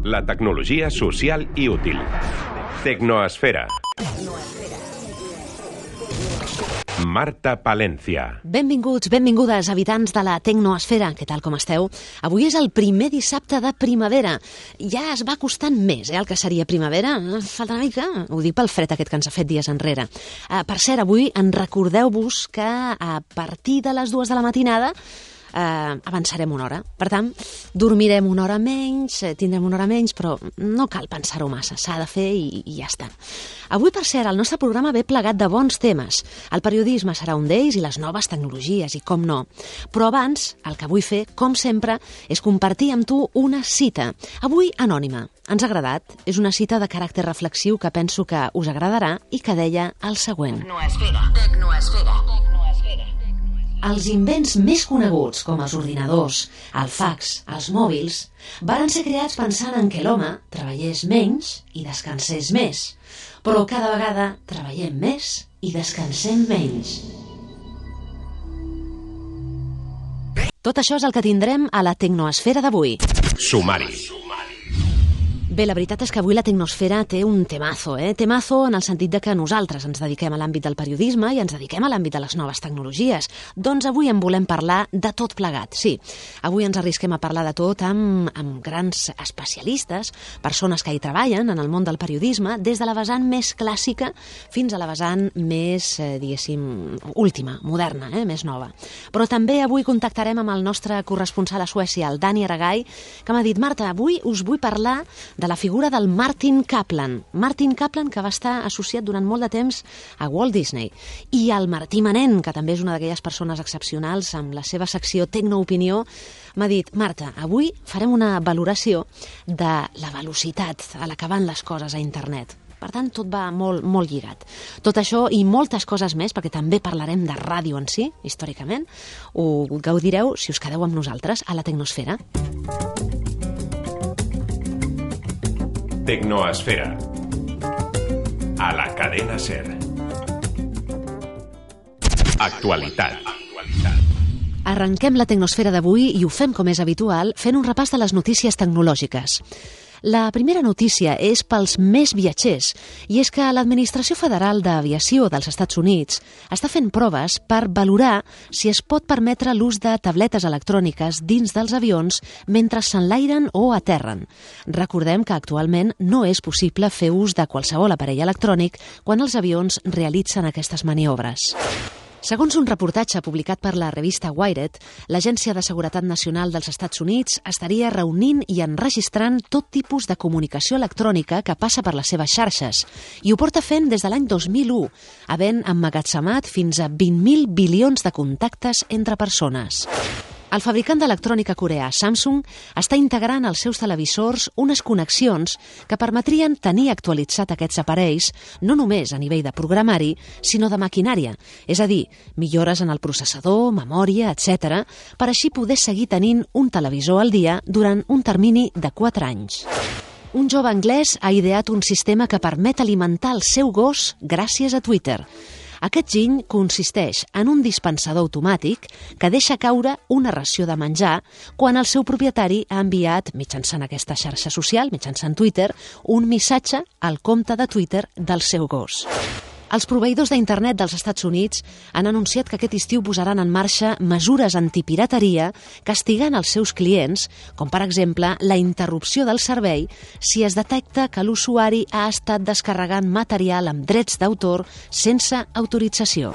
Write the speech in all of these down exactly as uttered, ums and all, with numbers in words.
La tecnologia social i útil. Tecnoesfera. Marta Palencia. Benvinguts, benvingudes, habitants de la Tecnoesfera. Què tal, com esteu? Avui és el primer dissabte de primavera. Ja es va costant més, eh, el que seria primavera. Falta una mica, ho dic pel fred aquest que ens ha fet dies enrere. Uh, per cert, avui en recordeu-vos que a partir de les dues de la matinada Uh, avançarem una hora. Per tant, dormirem una hora menys, tindrem una hora menys, però no cal pensar-ho massa, s'ha de fer i, i ja està. Avui, per cert, el nostre programa ve plegat de bons temes. El periodisme serà un d'ells i les noves tecnologies, i com no. Però abans, el que vull fer, com sempre, és compartir amb tu una cita. Avui, anònima. Ens ha agradat. És una cita de caràcter reflexiu que penso que us agradarà i que deia el següent. Tecnoesfera. Tecnoesfera. Els invents més coneguts, com els ordinadors, el fax, els mòbils, varen ser creats pensant en què l'home treballés menys i descansés més. Però cada vegada treballem més i descansem menys. Tot això és el que tindrem a la Tecnoesfera d'avui. Sumari. Bé, la veritat és que avui la Tecnosfera té un temazo, eh? Temazo en el sentit de que nosaltres ens dediquem a l'àmbit del periodisme i ens dediquem a l'àmbit de les noves tecnologies. Doncs avui en volem parlar de tot plegat, sí. Avui ens arrisquem a parlar de tot amb, amb grans especialistes, persones que hi treballen en el món del periodisme, des de la vessant més clàssica fins a la vessant més, eh, diguéssim, última, moderna, eh? Més nova. Però també avui contactarem amb el nostre corresponsal a Suècia, el Dani Aragay, que m'ha dit, Marta, avui us vull parlar de la figura del Martin Kaplan. Martin Kaplan, que va estar associat durant molt de temps a Walt Disney. I el Martí Manent, que també és una d'aquelles persones excepcionals amb la seva secció Tecnoopinió, m'ha dit, Marta, avui farem una valoració de la velocitat a la que van les coses a internet. Per tant, tot va molt, molt lligat. Tot això i moltes coses més, perquè també parlarem de ràdio en si, històricament, ho gaudireu si us quedeu amb nosaltres a la Tecnosfera. Tecnoesfera. A la cadena SER. Actualitat. Arrenquem la Tecnosfera d'avui i ho fem com és habitual fent un repàs de les notícies tecnològiques. La primera notícia és pels més viatgers, i és que l'Administració Federal d'Aviació dels Estats Units està fent proves per valorar si es pot permetre l'ús de tabletes electròniques dins dels avions mentre s'enlairen o aterren. Recordem que actualment no és possible fer ús de qualsevol aparell electrònic quan els avions realitzen aquestes maniobres. Segons un reportatge publicat per la revista Wired, l'Agència de Seguretat Nacional dels Estats Units estaria reunint i enregistrant tot tipus de comunicació electrònica que passa per les seves xarxes, i ho porta fent des de l'any dos mil u, havent emmagatzemat fins a vint mil bilions de contactes entre persones. El fabricant d'electrònica coreà Samsung està integrant als seus televisors unes connexions que permetrien tenir actualitzat aquests aparells no només a nivell de programari, sinó de maquinària, és a dir, millores en el processador, memòria, etcètera, per així poder seguir tenint un televisor al dia durant un termini de quatre anys. Un jove anglès ha ideat un sistema que permet alimentar el seu gos gràcies a Twitter. Aquest giny consisteix en un dispensador automàtic que deixa caure una ració de menjar quan el seu propietari ha enviat, mitjançant aquesta xarxa social, mitjançant Twitter, un missatge al compte de Twitter del seu gos. Els proveïdors d'internet dels Estats Units han anunciat que aquest estiu posaran en marxa mesures antipirateria castigant els seus clients, com per exemple la interrupció del servei si es detecta que l'usuari ha estat descarregant material amb drets d'autor sense autorització.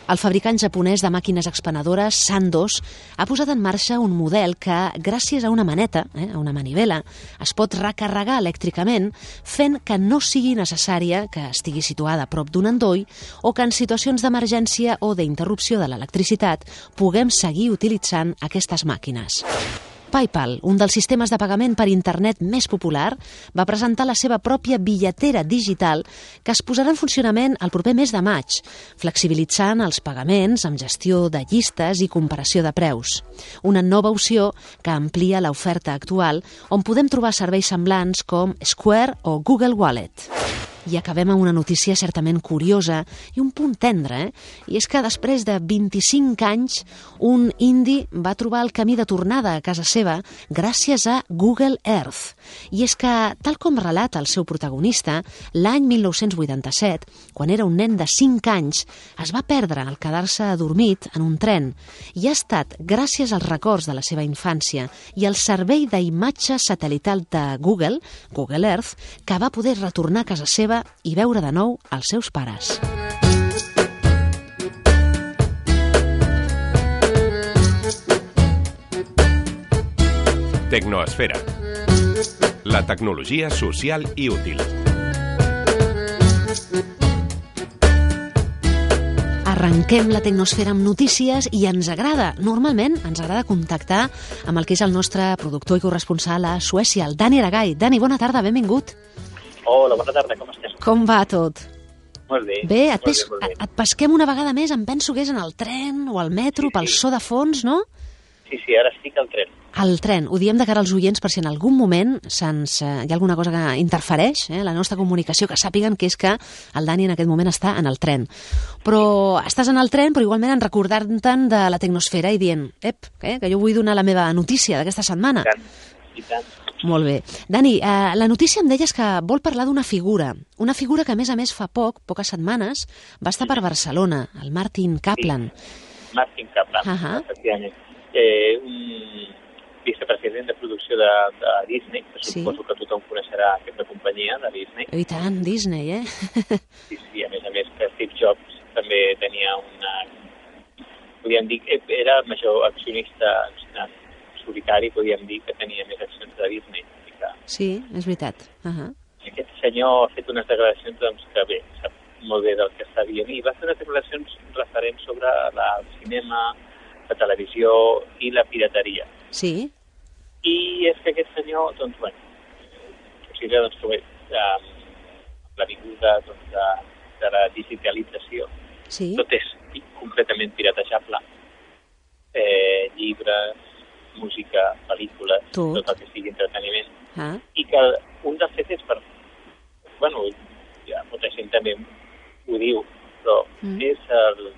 El fabricant japonès de màquines expenedores Sandoz ha posat en marxa un model que, gràcies a una maneta, eh, a una manivela, es pot recarregar elèctricament fent que no sigui necessària que estigui situada a prop d'un endoll o que en situacions d'emergència o d'interrupció de l'electricitat puguem seguir utilitzant aquestes màquines. PayPal, un dels sistemes de pagament per internet més popular, va presentar la seva pròpia billetera digital que es posarà en funcionament el proper mes de maig, flexibilitzant els pagaments amb gestió de llistes i comparació de preus. Una nova opció que amplia l'oferta actual, on podem trobar serveis semblants com Square o Google Wallet. I acabem amb una notícia certament curiosa i un punt tendre, eh? I és que després de vint-i-cinc anys, un indi va trobar el camí de tornada a casa seva gràcies a Google Earth. I és que, tal com relata el seu protagonista, l'any mil nou-cents vuitanta-set, quan era un nen de cinc anys, es va perdre al quedar-se adormit en un tren. I ha estat gràcies als records de la seva infància i al servei d'imatge satelital de Google, Google Earth, que va poder retornar a casa seva i veure de nou els seus pares. Tecnoesfera. La tecnologia social i útil. Arrenquem la tecnosfera amb notícies i ens agrada, normalment ens agrada contactar amb el que és el nostre productor i corresponsal a Suècia, el Dani Aragay. Dani, bona tarda, benvingut. Hola, bona tarda, com estem? Com va tot? Molt bé. Bé, et, molt pes, bé, molt bé. et pesquem una vegada més, em penso que és en el tren o al metro, Sí, pel sí. so de fons, no? Sí, sí, ara estic al tren. Al tren, ho diem de cara als oients per si en algun moment se'ns, eh, hi ha alguna cosa que interfereix, eh, la nostra comunicació, que sàpiguen que és que el Dani en aquest moment està en el tren. Però estàs en el tren, però igualment en recordant-te'n de la tecnosfera i dient, ep, eh, que jo vull donar la meva notícia d'aquesta setmana. I tant, i tant. Molt bé. Dani, eh, la notícia em deies que vol parlar d'una figura, una figura que a més a més fa poc, poques setmanes, va estar per Barcelona, el Martin Kaplan. Martin Kaplan, Ahà. efectivament. Eh, un vicepresident de producció de, de Disney, que Sí. suposo que tothom coneixerà aquesta companyia de Disney. I tant, Disney, eh? Sí, sí, a més a més que Steve Jobs també tenia una... Podríem dir que era major accionista en solitari, podríem dir que tenia més accions de Disney. I que Sí, és veritat. Uh-huh. aquest senyor ha fet unes declaracions doncs, que bé, sap molt bé del que està dient i va fer unes declaracions referents sobre la, el cinema, la televisió i la pirateria. Sí, I és que aquest senyor, doncs, bueno, considera doncs, que bé, eh, la vinguda doncs, de, de la digitalització, sí. tot és completament piratejable. Eh, llibres, música, pel·lícules, Tot. tot el que sigui entreteniment. Ah, I que un dels fets és per... Bueno, ja molta gent també ho diu, però Mm. mm. és el,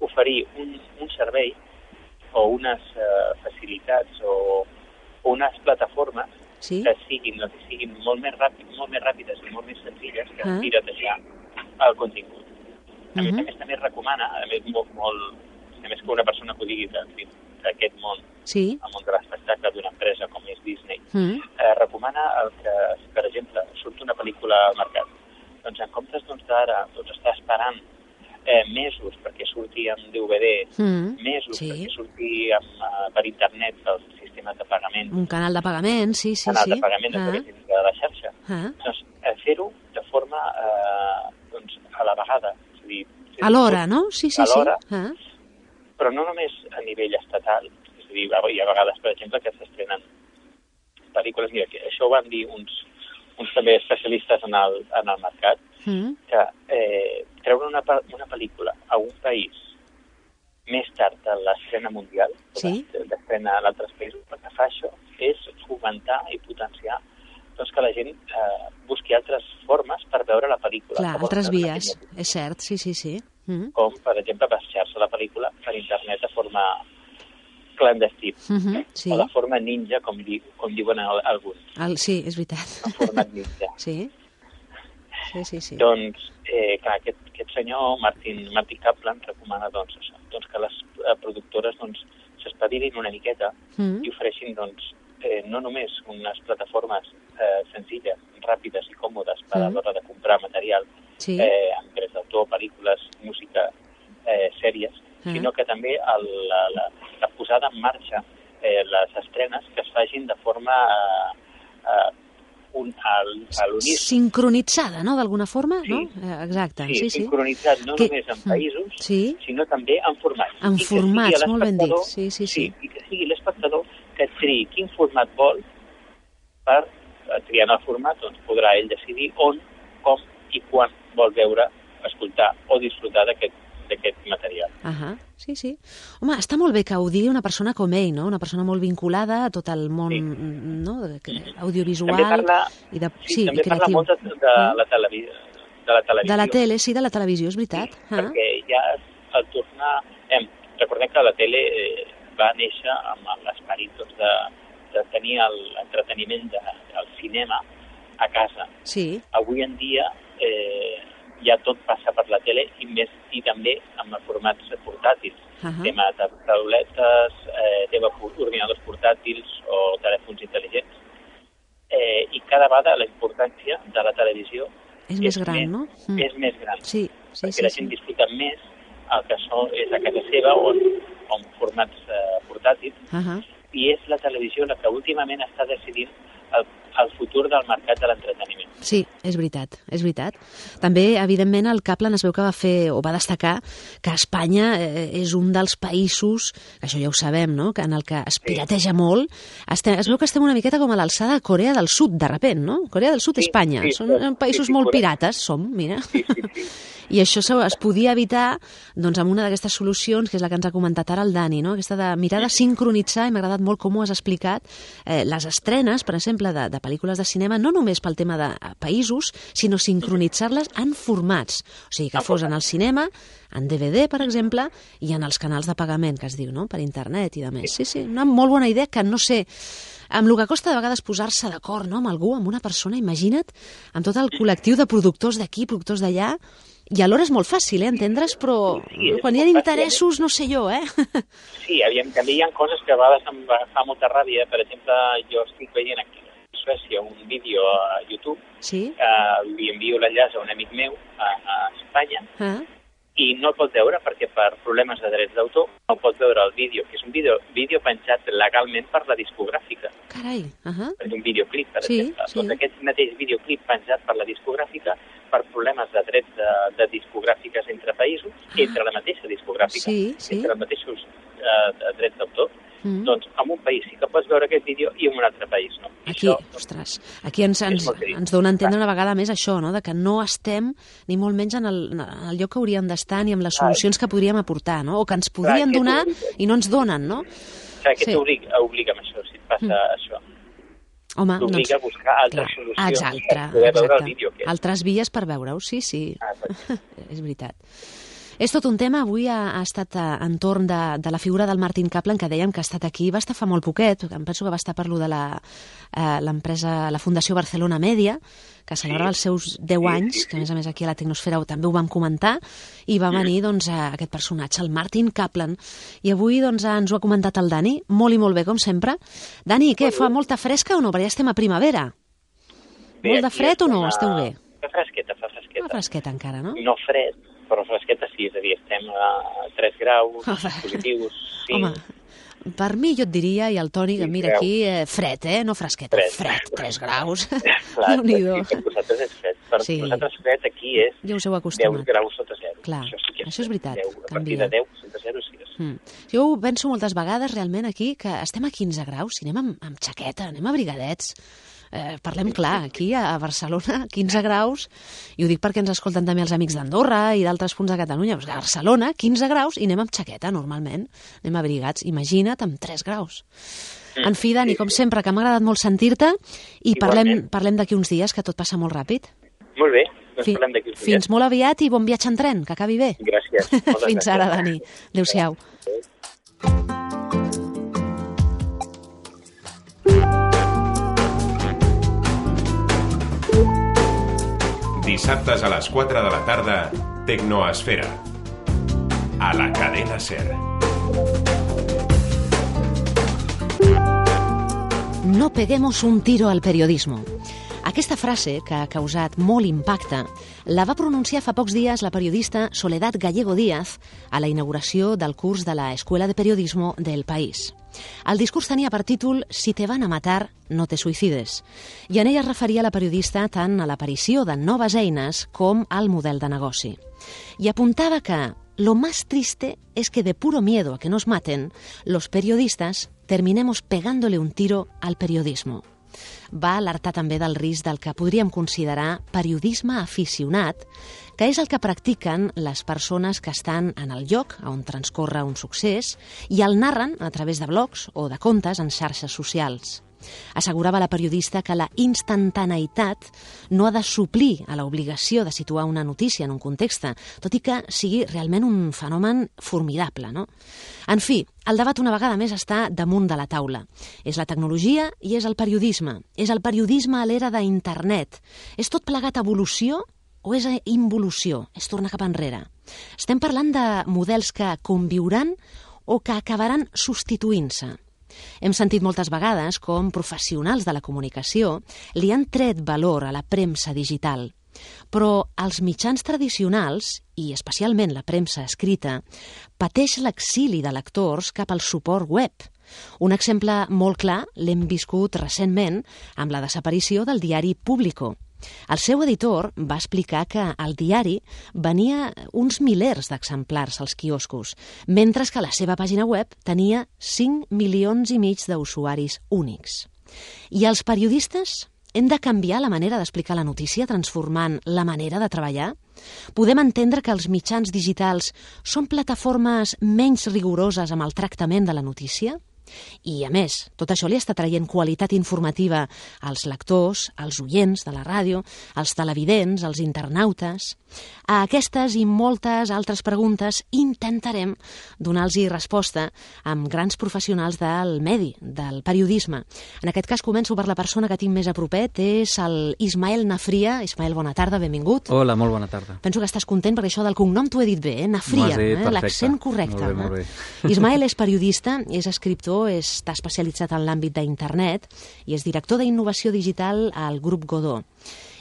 oferir un, un servei o unes uh, facilitats o, o unes plataformes sí. que siguin, doncs, siguin molt, més ràpid, molt més ràpides i molt més senzilles que Ah. piratejar el contingut. A més Mhm. a més també es recomana, a més, molt, molt, a més que una persona que ho digui de- d'aquest món, Sí. el món de l'espectacle d'una empresa com és Disney, Mm. eh, recomana el que, per exemple, surt una pel·lícula al mercat. Doncs en comptes doncs, d'ara doncs, estar esperant eh, mesos perquè surti amb D V D, Mm. mesos Sí. perquè surti amb, uh, per internet pel sistema de pagament, Un canal de pagament, sí, sí, canal sí. de pagament a Ah, través de la xarxa, ah. doncs, eh, fer-ho de forma eh, doncs, a la vegada. És a dir, fer-ho Alhora, tot no? Sí, sí, sí. alhora, Ah. però no només a nivell estatal. És a dir, hi ha vegades, per exemple, que s'estrenen pel·lícules. Mira, que això ho van dir uns, uns també especialistes en el, en el mercat, Mm. que eh, treure una, pe- una pel·lícula a un país més tard de l'estrena mundial, Sí. de l'estrena en altres països, el que fa això és fomentar i potenciar doncs, que la gent eh, busqui altres formes per veure la pel·lícula. Clar, que vol altres veure vies, aquella- és cert, sí, sí, sí. Mm. Com, per exemple, baixar-se la pel·lícula per internet de forma clandestina. Mhm, sí. O de forma ninja, com, di, com diuen al- alguns, El, sí, és veritat. en format ninja. Sí. Sí, sí, sí. Doncs, eh, clar, aquest, aquest senyor, Martin, Martin Kaplan, recomana doncs, això, doncs, que les eh, productores doncs, s'espavilin una miqueta Mm. i ofereixin doncs, eh, no només unes plataformes eh, senzilles, ràpides i còmodes per a Mm. l'hora de comprar material, Sí. eh, amb drets d'autor, pel·lícules, música, eh, sèries, Ah. sinó que també el, la, la, la posada en marxa, eh, les estrenes, que es fagin de forma eh, eh, un, al, a l'uníson. Sincronitzada, no?, d'alguna forma, Sí. no? Eh, Exacte, Sí, sí, sí. sincronitzat no Que- només en Mm. països, Sí. sinó també en formats. En I que formats, sigui molt ben dit. l'espectador- Sí, sí, sí. I que sigui l'espectador que triï quin format vol per, eh, triant el format, doncs podrà ell decidir on, com i quan vol veure, escoltar o disfrutar d'aquest d'aquest material. Ahà, sí, sí. Home, està molt bé que ho digui una persona com ell, no? Una persona molt vinculada a tot el món Sí. no? de- que- audiovisual També parla, i de, sí, sí, també i parla creatiu. molt de, de Mm. la televisió, de la televisió. De la tele, sí, de la televisió, és veritat. Sí, ah. perquè ja al tornar... Eh, recordem que la tele eh, va néixer amb l'esperit doncs, de, de tenir l'entreteniment de, del cinema a casa. Sí. Avui en dia eh, ja tot passa per la tele i més i també amb formats portàtils. Uh -huh. Tema de tauletes, eh, tema ordinadors portàtils o telèfons intel·ligents. Eh, I cada vegada la importància de la televisió és, és més gran, més, no? Mm. És més gran. Sí, sí, perquè sí, la sí. gent disfruta més el que són, és a casa seva o en, o en formats eh, portàtils. Uh -huh. I és la televisió la que últimament està decidint el, el futur del mercat de l'entreteniment. Sí, és veritat, és veritat. També, evidentment, el Kaplan es veu que va fer, o va destacar, que Espanya eh, és un dels països, que això ja ho sabem, no?, que en el que es pirateja sí. molt. Estem, es veu que estem una miqueta com a l'alçada de Corea del Sud, de repent, no? Corea del Sud, sí, Espanya. Sí, Són sí, països sí, sí, molt pirates, som, mira. Sí, sí, sí. I això es podia evitar doncs, amb una d'aquestes solucions, que és la que ens ha comentat ara el Dani, no? Aquesta de mirar de sincronitzar, i m'ha agradat molt com ho has explicat, eh, les estrenes, per exemple, de, de pel·lícules de cinema, no només pel tema de països, sinó sincronitzar-les en formats. O sigui, que fos en el cinema, en D V D, per exemple, i en els canals de pagament, que es diu, no?, per internet i de més. Sí, sí, una molt bona idea que no sé... Amb el que costa de vegades posar-se d'acord, no?, amb algú, amb una persona, imagina't, amb tot el col·lectiu de productors d'aquí, productors d'allà, i alhora és molt fàcil, eh, entendre's, però sí, quan hi ha interessos, no sé jo, eh? Sí, aviam, també hi ha coses que a vegades em fa molta ràbia. Per exemple, jo estic veient aquí a Suècia un vídeo a YouTube, sí? eh, li envio l'enllaç a un amic meu a, a Espanya, ah. i no el pot veure perquè per problemes de drets d'autor no pot veure el vídeo, que és un vídeo, vídeo penjat legalment per la discogràfica. Carai! Uh -huh. És un videoclip, per sí, exemple. Sí. Doncs aquest mateix videoclip penjat per la discogràfica per problemes de drets de, de discogràfiques entre països, ah. entre la mateixa discogràfica, sí, sí. entre els mateixos eh, drets d'autor. Mm. Doncs en un país sí que pots veure aquest vídeo i en un altre país no. Aquí, això, ostres, aquí ens, ens, ens dona a entendre una vegada més això, no?, de que no estem ni molt menys en el, en el lloc que hauríem d'estar ni amb les solucions que podríem aportar, no?, o que ens podrien Clar, donar i no ens donen, no? Clar, que sí. t'obliga obliga amb això, si et passa mm. això. Home, t'obliga doncs, a buscar altres clar, solucions exacte, per poder exacte. veure el vídeo. Que... Altres vies per veure-ho, sí, sí. Ah, és veritat. És tot un tema, avui ha, ha estat entorn de, de la figura del Martin Kaplan, que dèiem que ha estat aquí, va estar fa molt poquet, em penso que va estar per lo de l'empresa, la Fundació Barcelona Media, que celebrava els seus deu anys, que a més a més aquí a la Tecnosfera també ho vam comentar, i va venir doncs, aquest personatge, el Martin Kaplan, i avui doncs, ens ho ha comentat el Dani, molt i molt bé, com sempre. Dani, què, fa molta fresca o no? Perquè ja estem a primavera. Bé, molt de fred o no? Una... Esteu bé? Fa fresqueta, fa fresqueta. Fa fresqueta encara, no? No fred, però fresqueta sí, és a dir, estem a tres graus positius. Sí. Home, per mi jo et diria, i el Toni, que mira aquí, eh, fred, eh? No fresqueta, fred, fred tres graus. Clar, sí, per vosaltres és fred. Per sí. vosaltres fred aquí és ja us heu acostumat. deu graus sota zero. Clar, això, sí que és, això és veritat. deu, a partir de deu sota zero sí és. Mm. Jo ho penso moltes vegades realment aquí, que estem a quinze graus, si anem amb, amb xaqueta, anem abrigadets. Eh, parlem clar, aquí a Barcelona, quinze graus, i ho dic perquè ens escolten també els amics d'Andorra i d'altres punts de Catalunya, doncs a Barcelona, quinze graus, i anem amb xaqueta, normalment, anem abrigats, imagina't amb tres graus. En fi, Dani, com sempre, que m'ha agradat molt sentir-te, i parlem, parlem d'aquí uns dies, que tot passa molt ràpid. Molt bé, doncs Fi, parlem d'aquí uns dies. Fins molt aviat i bon viatge en tren, que acabi bé. Gràcies. Fins ara, Dani. Adéu-siau. Dissabtes a les quatre de la tarda, Tecnoesfera. A la cadena SER. No peguemos un tiro al periodismo. Aquesta frase, que ha causat molt impacte, la va pronunciar fa pocs dies la periodista Soledad Gallego Díaz a la inauguració del curs de la Escuela de Periodismo del País. El discurs tenia per títol «Si te van a matar, no te suïcides», i en ella es referia la periodista tant a l'aparició de noves eines com al model de negoci. I apuntava que «lo más triste es que de puro miedo a que nos maten, los periodistas terminemos pegándole un tiro al periodismo». Va alertar també del risc del que podríem considerar periodisme aficionat, que és el que practiquen les persones que estan en el lloc on transcorre un succés i el narren a través de blogs o de comptes en xarxes socials. Assegurava la periodista que la instantaneïtat no ha de suplir a l'obligació de situar una notícia en un context, tot i que sigui realment un fenomen formidable, no? En fi, el debat una vegada més està damunt de la taula. És la tecnologia i és el periodisme. És el periodisme a l'era d'internet. És tot plegat evolució o és involució? És tornar cap enrere. Estem parlant de models que conviuran o que acabaran substituint-se. Hem sentit moltes vegades com professionals de la comunicació li han tret valor a la premsa digital. Però els mitjans tradicionals, i especialment la premsa escrita, pateix l'exili de lectors cap al suport web. Un exemple molt clar l'hem viscut recentment amb la desaparició del diari Público. El seu editor va explicar que el diari venia uns milers d'exemplars als quioscos, mentre que la seva pàgina web tenia cinc milions i mig d'usuaris únics. I els periodistes hem de canviar la manera d'explicar la notícia transformant la manera de treballar? Podem entendre que els mitjans digitals són plataformes menys rigoroses amb el tractament de la notícia? I, a més, tot això li està traient qualitat informativa als lectors, als oients de la ràdio, als televidents, als internautes. A aquestes i moltes altres preguntes intentarem donar-los resposta amb grans professionals del medi, del periodisme. En aquest cas començo per la persona que tinc més a propet, és el Ismael Nafria. Ismael, bona tarda, benvingut. Hola, molt bona tarda. Penso que estàs content perquè això del cognom t'ho he dit bé, eh? Nafria, eh? L'accent correcte. Molt bé, molt bé. Ismael és periodista, és escriptor, està especialitzat en l'àmbit d'internet i és director d'innovació digital al grup Godó.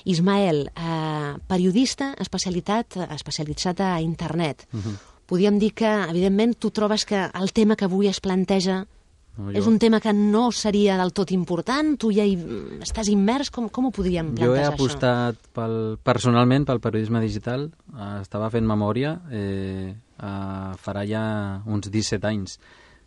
Ismael, eh, periodista especialitat, especialitzat a internet. Uh-huh. Podríem dir que, evidentment, tu trobes que el tema que avui es planteja no, jo... és un tema que no seria del tot important? Tu ja hi estàs immers? Com, com ho podríem plantejar, jo he això? apostat pel, personalment pel periodisme digital. Eh, estava fent memòria, eh, eh, farà ja uns disset anys.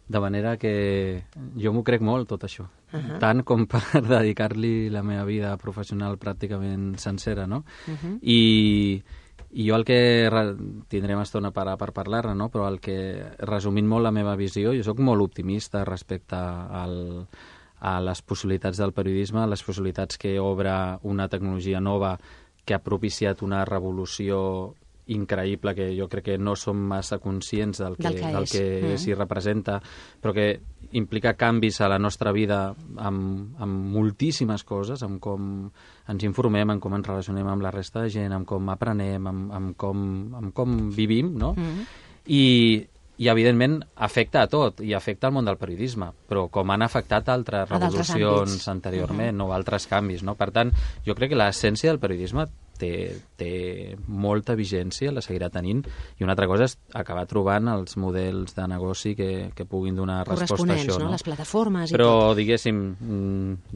De manera que jo m'ho crec molt, tot això. Uh-huh. Tant com per dedicar-li la meva vida professional pràcticament sencera, no? Uh-huh. I, I jo el que... Tindrem estona per, per parlar-ne, no? Però el que, resumint molt la meva visió, jo sóc molt optimista respecte al, a les possibilitats del periodisme, les possibilitats que obre una tecnologia nova que ha propiciat una revolució increïble, que jo crec que no som massa conscients del que, del que, del que mm. s'hi representa, però que implica canvis a la nostra vida amb, amb moltíssimes coses, amb com ens informem, amb com ens relacionem amb la resta de gent, amb com aprenem, amb, amb, com, amb com vivim, no? Mm. I, i, evidentment, afecta a tot, i afecta al món del periodisme, però com han afectat altres revolucions anteriorment, mm-hmm. o altres canvis, no? Per tant, jo crec que l'essència del periodisme té, té molta vigència, la seguirà tenint, i una altra cosa és acabar trobant els models de negoci que, que puguin donar resposta a això. No? No? Les plataformes i Però, tot. Però, diguéssim,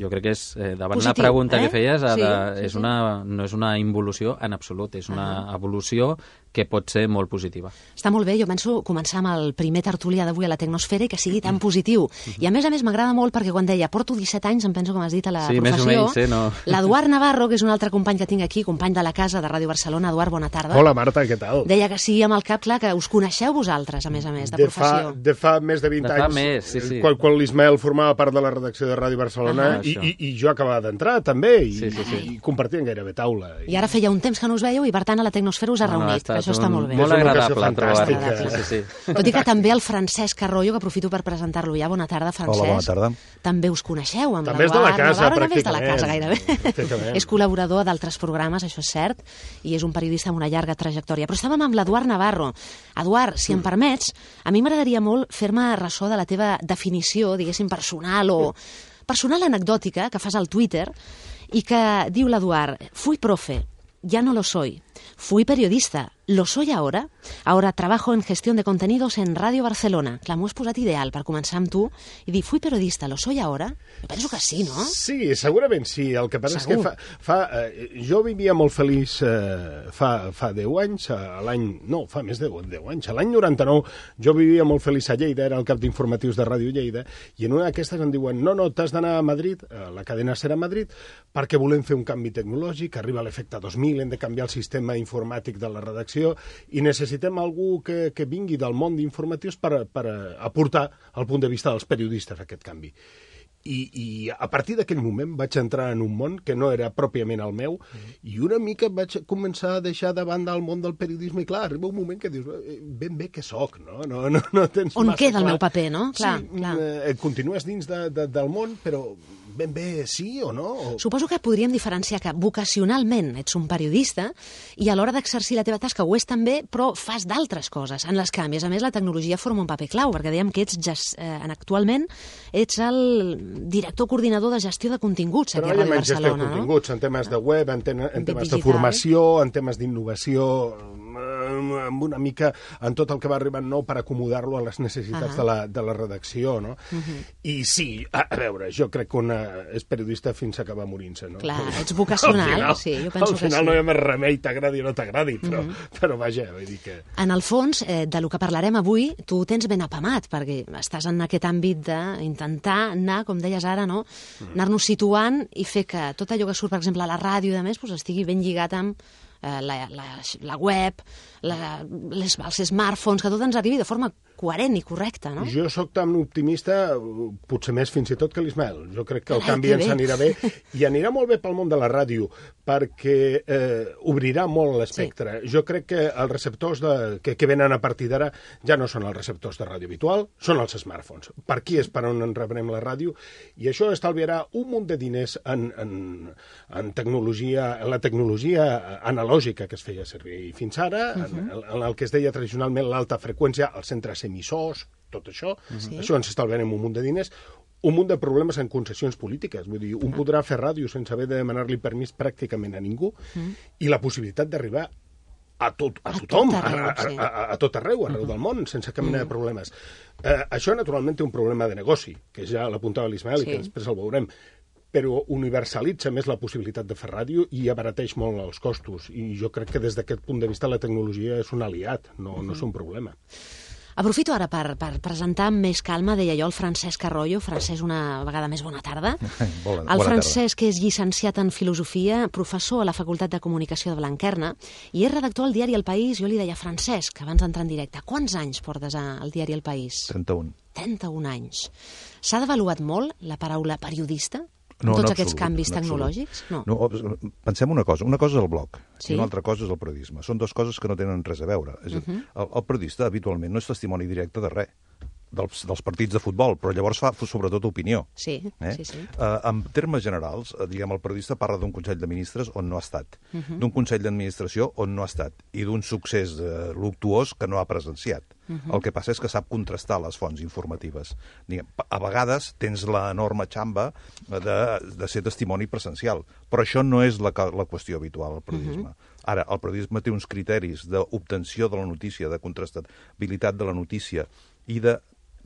jo crec que és, eh, davant Positiu, la pregunta eh? que feies, sí, de, sí, és sí. una, no és una involució en absolut, és una uh-huh. evolució que pot ser molt positiva. Està molt bé, jo penso començar amb el primer tertulià d'avui a la Tecnosfera i que sigui tan positiu. I a més a més m'agrada molt perquè quan deia porto disset anys, em penso com has dit a la sí, professió, més o menys, eh, no? l'Eduard Navarro, que és un altre company que tinc aquí, company de la casa de Ràdio Barcelona. Eduard, bona tarda. Hola, Marta, què tal? Deia que sí amb el cap, clar, que us coneixeu vosaltres, a més a més, de, de professió. Fa, de fa més de vint de fa anys, més, sí, sí. quan, quan l'Ismael formava part de la redacció de Ràdio Barcelona, uh-huh. i, i, i jo acabava d'entrar també, i, sí, sí, sí. i compartien gairebé taula. I ara feia un temps que no us veieu i, per tant, a la Tecnosfera us ha no, reunit, no, que això està molt bé. Molt agradable trobar-te. Sí, sí, sí. Tot i que també el Francesc Arroyo, que aprofito per presentar-lo ja. Bona tarda, Francesc. Hola, bona tarda. També us coneixeu, amb també és de la casa, Navarro, també és de la pràcticament. casa, gairebé. És col·laborador d'altres programes, això és cert, i és un periodista amb una llarga trajectòria. Però estàvem amb l'Eduard Navarro. Eduard, si em permets, a mi m'agradaria molt fer-me ressò de la teva definició, diguéssim, personal o personal anecdòtica que fas al Twitter i que diu l'Eduard: fui profe, ya no lo soy. Fui periodista, lo soy ahora. Ahora trabajo en gestión de contenidos en Ràdio Barcelona. Clar, m'ho has posat ideal per començar amb tu i dir, fui periodista, lo soy ahora? Jo penso que sí, no? Sí, segurament sí. El que passa Segur. és que fa, fa, eh, jo vivia molt feliç eh, fa, fa deu anys, a l'any... No, fa més de deu anys. A l'any noranta-nou jo vivia molt feliç a Lleida, era el cap d'informatius de Ràdio Lleida, i en una d'aquestes em diuen, no, no, t'has d'anar a Madrid, a la cadena SER a Madrid, perquè volem fer un canvi tecnològic, arriba l'efecte dos mil, hem de canviar el sistema informàtic de la redacció i necessitem algú que, que vingui del món d'informatius per, per aportar el punt de vista dels periodistes a aquest canvi. I, i a partir d'aquell moment vaig entrar en un món que no era pròpiament el meu mm. i una mica vaig començar a deixar de banda el món del periodisme i clar, arriba un moment que dius, ben bé que soc, no? No, no, no tens on massa queda clar. El meu paper, no? Clar, sí, clar. Eh, continues dins de, de, del món, però ben bé sí o no? O... Suposo que podríem diferenciar que vocacionalment ets un periodista i a l'hora d'exercir la teva tasca ho és també, però fas d'altres coses en les que, a més a més, la tecnologia forma un paper clau, perquè dèiem que ets gest... eh, actualment ets el director coordinador de gestió de continguts aquí a Ràdio Barcelona, gestió de continguts, no? En temes de web, en, ten en temes digital. De formació, en temes d'innovació, amb una mica en tot el que va arribant nou per acomodar-lo a les necessitats uh -huh. de, la, de la redacció, no? Uh -huh. I sí, a, a veure, jo crec que una és periodista fins a acabar morint-se, no? Clar, ets vocacional, final, sí, jo penso que sí. Al final no hi ha més remei, t'agradi o no t'agradi, però, uh -huh. però vaja, vull dir que... En el fons, eh, de lo que parlarem avui, tu ho tens ben apamat, perquè estàs en aquest àmbit d'intentar anar, com deies ara, no? anar-nos situant i fer que tot allò que surt, per exemple, a la ràdio i de més, pues, estigui ben lligat amb eh, la, la, la web, la, les, els smartphones, que tot ens arribi de forma coherent i correcta, no? Jo sóc tan optimista, potser més fins i tot que l'Ismael. Jo crec que el Ai, canvi que ens bé. anirà bé, i anirà molt bé pel món de la ràdio, perquè eh, obrirà molt l'espectre. Sí. Jo crec que els receptors de, que, que venen a partir d'ara ja no són els receptors de ràdio habitual, són els smartphones. Per aquí és per on en rebrem la ràdio, i això estalviarà un munt de diners en, en, en tecnologia, en la tecnologia analògica que es feia servir fins ara, uh -huh. en, en el que es deia tradicionalment l'alta freqüència, els centres emissors, tot això, sí. Això ens estalviarem un munt de diners, un munt de problemes en concessions polítiques. Vull dir, un podrà fer ràdio sense haver de demanar-li permís pràcticament a ningú, mm. i la possibilitat d'arribar a, tot, a, a tothom, tot arreu, a, a, a, a tot arreu, arreu del món, sense cap mena mm. de problemes. Eh, això, naturalment, té un problema de negoci, que ja l'apuntava l'Ismael, sí. I que després el veurem, però universalitza més la possibilitat de fer ràdio i abarateix molt els costos. I jo crec que des d'aquest punt de vista la tecnologia és un aliat, no, mm-hmm. no és un problema. Aprofito ara per, per presentar amb més calma, deia jo, el Francesc Arroyo. Francesc, una vegada més, bona tarda. Bona, el Francesc, que és llicenciat en Filosofia, professor a la Facultat de Comunicació de Blanquerna, i és redactor al diari El País. Jo li deia, Francesc, abans d'entrar en directe, quants anys portes al diari El País? trenta-un. trenta-un anys. S'ha devaluat molt la paraula periodista? No, tots no aquests absolut, canvis no tecnològics? No. no. Pensem una cosa. Una cosa és el blog, sí. I una altra cosa és el periodisme. Són dues coses que no tenen res a veure. És uh -huh. el, el periodista, habitualment, no és testimoni directe de res. Dels, dels partits de futbol, però llavors fa sobretot opinió. Sí, eh? sí, sí. Uh, en termes generals, uh, diguem, el periodista parla d'un Consell de Ministres on no ha estat, uh -huh. d'un Consell d'Administració on no ha estat, i d'un succés uh, luctuós que no ha presenciat. Uh -huh. El que passa és que sap contrastar les fonts informatives. Diguem, a vegades tens l'enorme xamba de, de ser testimoni presencial, però això no és la, la qüestió habitual al periodisme. Uh -huh. Ara, el periodisme té uns criteris d'obtenció de la notícia, de contrastabilitat de la notícia i de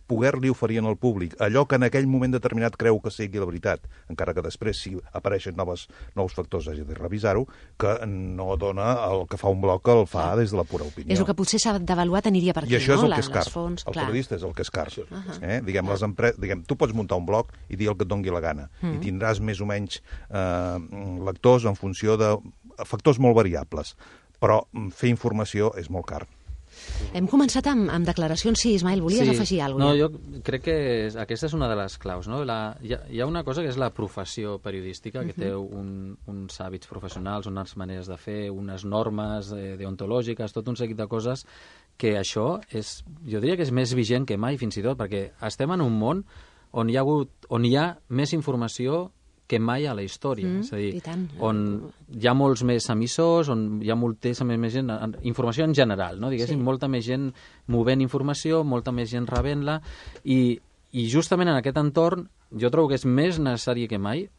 poder-li oferir al públic allò que en aquell moment determinat creu que sigui la veritat, encara que després, si apareixen noves, nous factors, hagi de revisar-ho, que no dona el que fa un blog, que el fa des de la pura opinió. És el que potser s'ha d'avaluar, aniria per aquí, no? I això és el no? que és car. Fonts, el clar. periodista és el que és car. Uh -huh. eh? Diguem, les empre... Diguem, tu pots muntar un blog i dir el que et doni la gana, uh -huh. i tindràs més o menys eh, lectors en funció de factors molt variables, però fer informació és molt car. Hem començat amb, amb declaracions. Sí, Ismael, volies sí. afegir alguna cosa? No, jo crec que és, aquesta és una de les claus. No? La, hi, ha, hi ha una cosa que és la professió periodística, que uh -huh. té un, uns hàbits professionals, unes maneres de fer, unes normes eh, deontològiques, tot un seguit de coses que això és, jo diria que és més vigent que mai, fins i tot, perquè estem en un món on hi ha, hagut, on hi ha més informació que mai a la història. Mm, és a dir, tant. on hi ha molts més emissors, on hi ha moltíssima més gent, informació en general, no? Diguéssim, sí. molta més gent movent informació, molta més gent rebent-la, i, i justament en aquest entorn jo trobo que és més necessari que mai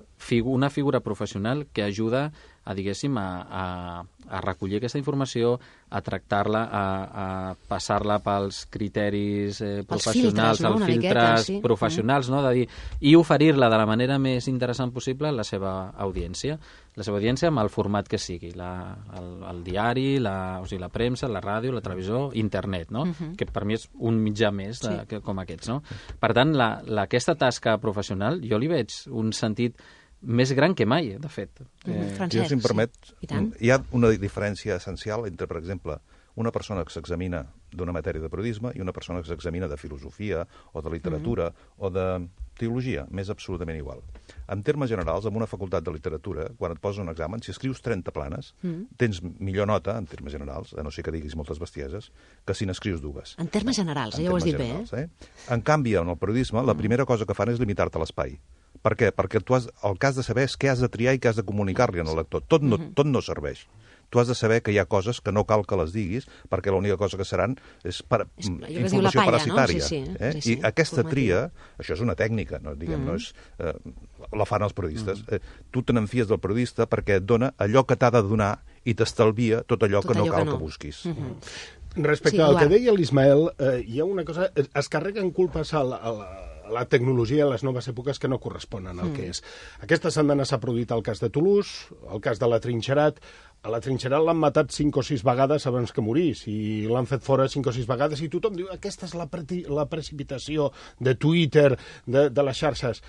una figura professional que ajuda a, diguéssim, a, a, a recollir aquesta informació, a tractar-la, a, a passar-la pels criteris eh, professionals, filtres, no? els filtres miqueta, sí. professionals, no? De dir, i oferir-la de la manera més interessant possible a la seva audiència. La seva audiència amb el format que sigui, la, el, el diari, la, o sigui, la premsa, la ràdio, la televisió, internet, no? Uh-huh. Que per mi és un mitjà més de, sí. que, com aquests, no? Per tant, la, la, aquesta tasca professional jo li veig un sentit més gran que mai, de fet. Eh, Francesc, jo, si em permet, sí. hi ha una diferència essencial entre, per exemple, una persona que s'examina d'una matèria de periodisme i una persona que s'examina de filosofia o de literatura mm-hmm. o de teologia, m'és absolutament igual. En termes generals, en una facultat de literatura, quan et posen un examen, si escrius trenta planes, mm. tens millor nota, en termes generals, a no ser que diguis moltes bestieses, que si n'escrius dues. En termes generals, en ja ho has dit generals, bé, eh? eh? En canvi, en el periodisme, la primera cosa que fan és limitar-te l'espai. Per què? Perquè tu has, el que has de saber és què has de triar i què has de comunicar-li al lector. Tot no, tot no serveix. Tu has de saber que hi ha coses que no cal que les diguis, perquè l'única cosa que seran és, per, és informació palla, parasitària. no? Sí, sí, eh? sí, sí, I aquesta formatiu. tria, això és una tècnica, no, diguem, mm. no és, eh, la fan els periodistes. Mm. Eh, tu te n'enfies del periodista perquè et dona allò que t'ha de donar i t'estalvia tot allò tot que no allò cal que, no. que busquis. Mm-hmm. Respecte sí, al que Eduard. deia l'Ismael, eh, hi ha una cosa... Es carreguen culpes a la, a la, a la tecnologia a les noves èpoques que no corresponen al mm. que és. Aquesta setmana s'ha produït el cas de Toulouse, el cas de la Trinxerat. A la Trinxerat l'han matat cinc o sis vegades abans que morís, i l'han fet fora cinc o sis vegades, i tothom diu aquesta és la, pre la precipitació de Twitter, de, de les xarxes.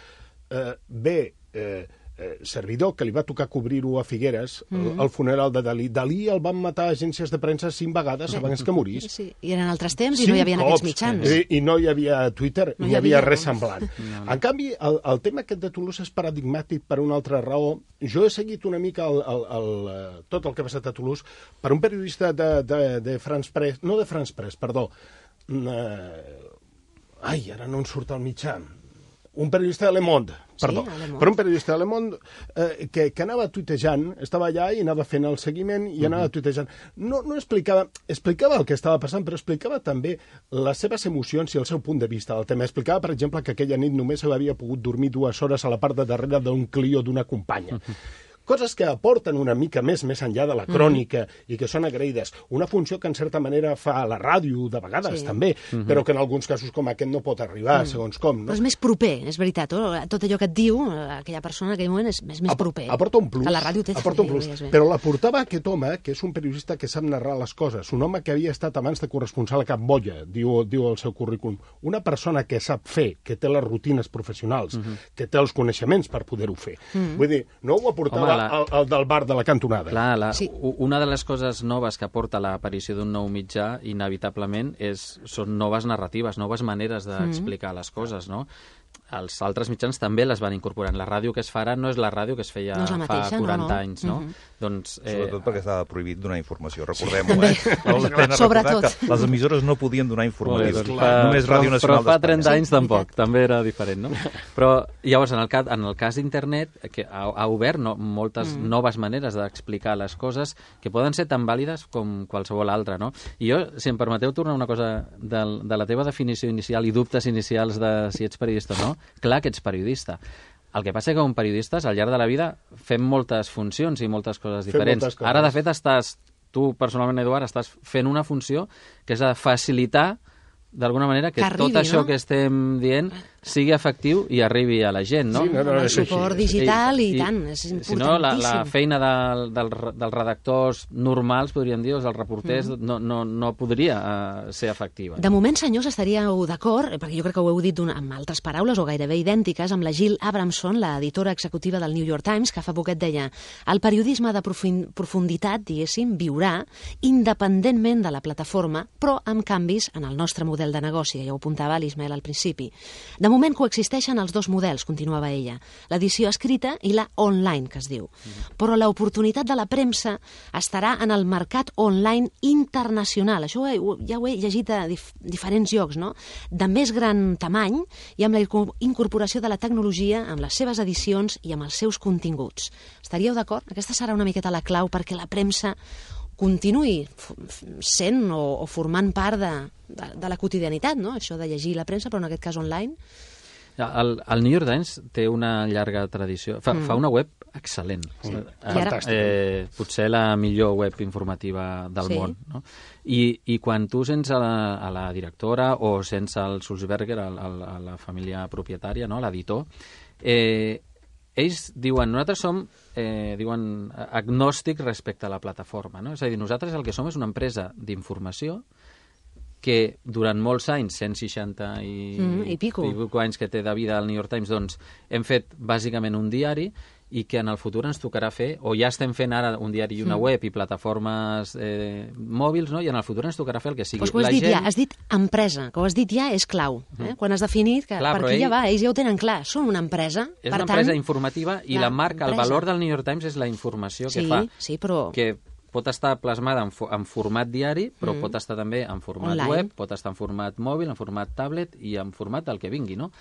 Eh, bé, eh, eh, servidor, que li va tocar cobrir-ho a Figueres, mm-hmm. el, el funeral de Dalí. Dalí el van matar agències de premsa cinc vegades bé, abans que morís. Sí, i eren altres temps i no hi havia cops, aquests mitjans. I, I no hi havia Twitter, no ni hi havia, havia res no. semblant. No, no. En canvi, el, el tema aquest de Toulouse és paradigmàtic per una altra raó. Jo he seguit una mica el, el, el, tot el que ha passat a Toulouse per un periodista de, de, de France Press, no de France Press, perdó. Uh, ai, ara no en surt el mitjà. Un periodista de Le Monde, perdó, sí, però un periodista de Le Monde eh, que, que anava tuitejant, estava allà i anava fent el seguiment i anava uh-huh. tuitejant. No, no explicava, explicava el que estava passant, però explicava també les seves emocions i el seu punt de vista del tema. Explicava, per exemple, que aquella nit només havia pogut dormir dues hores a la part de darrere d'un Clio d'una companya. Uh-huh. Coses que aporten una mica més més enllà de la crònica mm-hmm. i que són agraïdes. Una funció que, en certa manera, fa a la ràdio, de vegades, sí. també, mm-hmm. però que en alguns casos com aquest no pot arribar, mm. segons com. No? Però és més proper, és veritat. Tot allò que et diu aquella persona en aquell moment és, és més Ap proper. Aporta un plus. Que la ràdio té aporta un plus. Bé. Però la portava aquest home, que és un periodista que sap narrar les coses, un home que havia estat abans de corresponsal a Camboya, diu, diu el seu currículum. Una persona que sap fer, que té les rutines professionals, mm-hmm. que té els coneixements per poder-ho fer. Mm-hmm. Vull dir, no ho aportava Home, la... el, el del de la cantonada. Clar, la, sí. una de les coses noves que aporta l'aparició d'un nou mitjà, inevitablement, és, són noves narratives, noves maneres d'explicar mm. les coses, no? Els altres mitjans també les van incorporant. La ràdio que es fa ara no és la ràdio que es feia no mateixa, fa quaranta no, no. anys, no? Mm-hmm. Doncs, eh... Sobretot perquè estava prohibit donar informació, recordem-ho, eh? Sobretot. Que les emissores no podien donar informació. Bé, doncs fa, Només Ràdio però, Nacional però fa trenta sí, anys tampoc, també era diferent, no? Però llavors, en el cas, en el cas d'internet, que ha, ha obert no, moltes mm. noves maneres d'explicar les coses que poden ser tan vàlides com qualsevol altra, no? I jo, si em permeteu tornar una cosa de, de la teva definició inicial i dubtes inicials de si ets periodista o no, clar que ets periodista. El que passa és que com periodistes, al llarg de la vida, fem moltes funcions i moltes coses diferents. Moltes coses. Ara, de fet, estàs, tu personalment, Eduard, estàs fent una funció que és de facilitar, d'alguna manera, que, que arribi, tot això no? que estem dient sigui efectiu i arribi a la gent, no? Sí, no, no, el suport digital i, i, i tant, és importantíssim. Si no, la, la feina del, del, dels redactors normals, podríem dir, o dels reporters, mm. no, no, no podria uh, ser efectiva. De moment, senyors, estaríeu d'acord, perquè jo crec que ho heu dit amb altres paraules o gairebé idèntiques, amb la Jill Abramson, l'editora executiva del New York Times, que fa poquet deia el periodisme de profunditat, diguéssim, viurà independentment de la plataforma, però amb canvis en el nostre model de negoci, ja ho apuntava l'Ismael al principi. De moment coexisteixen els dos models, continuava ella, l'edició escrita i la online, que es diu. Mm. Però l'oportunitat de la premsa estarà en el mercat online internacional. Això ja ho he llegit a dif diferents llocs, no? De més gran tamany i amb la incorporació de la tecnologia, amb les seves edicions i amb els seus continguts. Estaríeu d'acord? Aquesta serà una miqueta la clau perquè la premsa continuï sent o, o formant part de, de, de la quotidianitat, no? Això de llegir la premsa, però en aquest cas online. El, el New York Times té una llarga tradició. Fa, mm. fa una web excel·lent. Mm. Fantàstic. Eh, potser la millor web informativa del sí. món. No? I, I quan tu sents a la, a la directora o sents el Sulzberger, a, a, a la família propietària, no? L'editor, eh, ells diuen, nosaltres som eh, diuen, agnòstics respecte a la plataforma. No? És a dir, nosaltres el que som és una empresa d'informació que durant molts anys, cent seixanta i, mm, i, pico. i pico anys que té de vida al New York Times, doncs hem fet bàsicament un diari i que en el futur ens tocarà fer, o ja estem fent ara un diari i una Mm. web i plataformes eh, mòbils, no? I en el futur ens tocarà fer el que sigui. Pues que ho has La dit gent... ja, has dit empresa, que ho has dit ja és clau. Eh? Quan has definit que Clar, per però aquí ja ell- va, ells ja ho tenen clar, són una empresa. És per una tant, empresa informativa i clar, la marca, el empresa. valor del New York Times és la informació que Sí, fa. sí, però... Que pot estar plasmada en, fo en format diari, però mm. pot estar també en format Online. web, pot estar en format mòbil, en format tablet i en format del que vingui, no?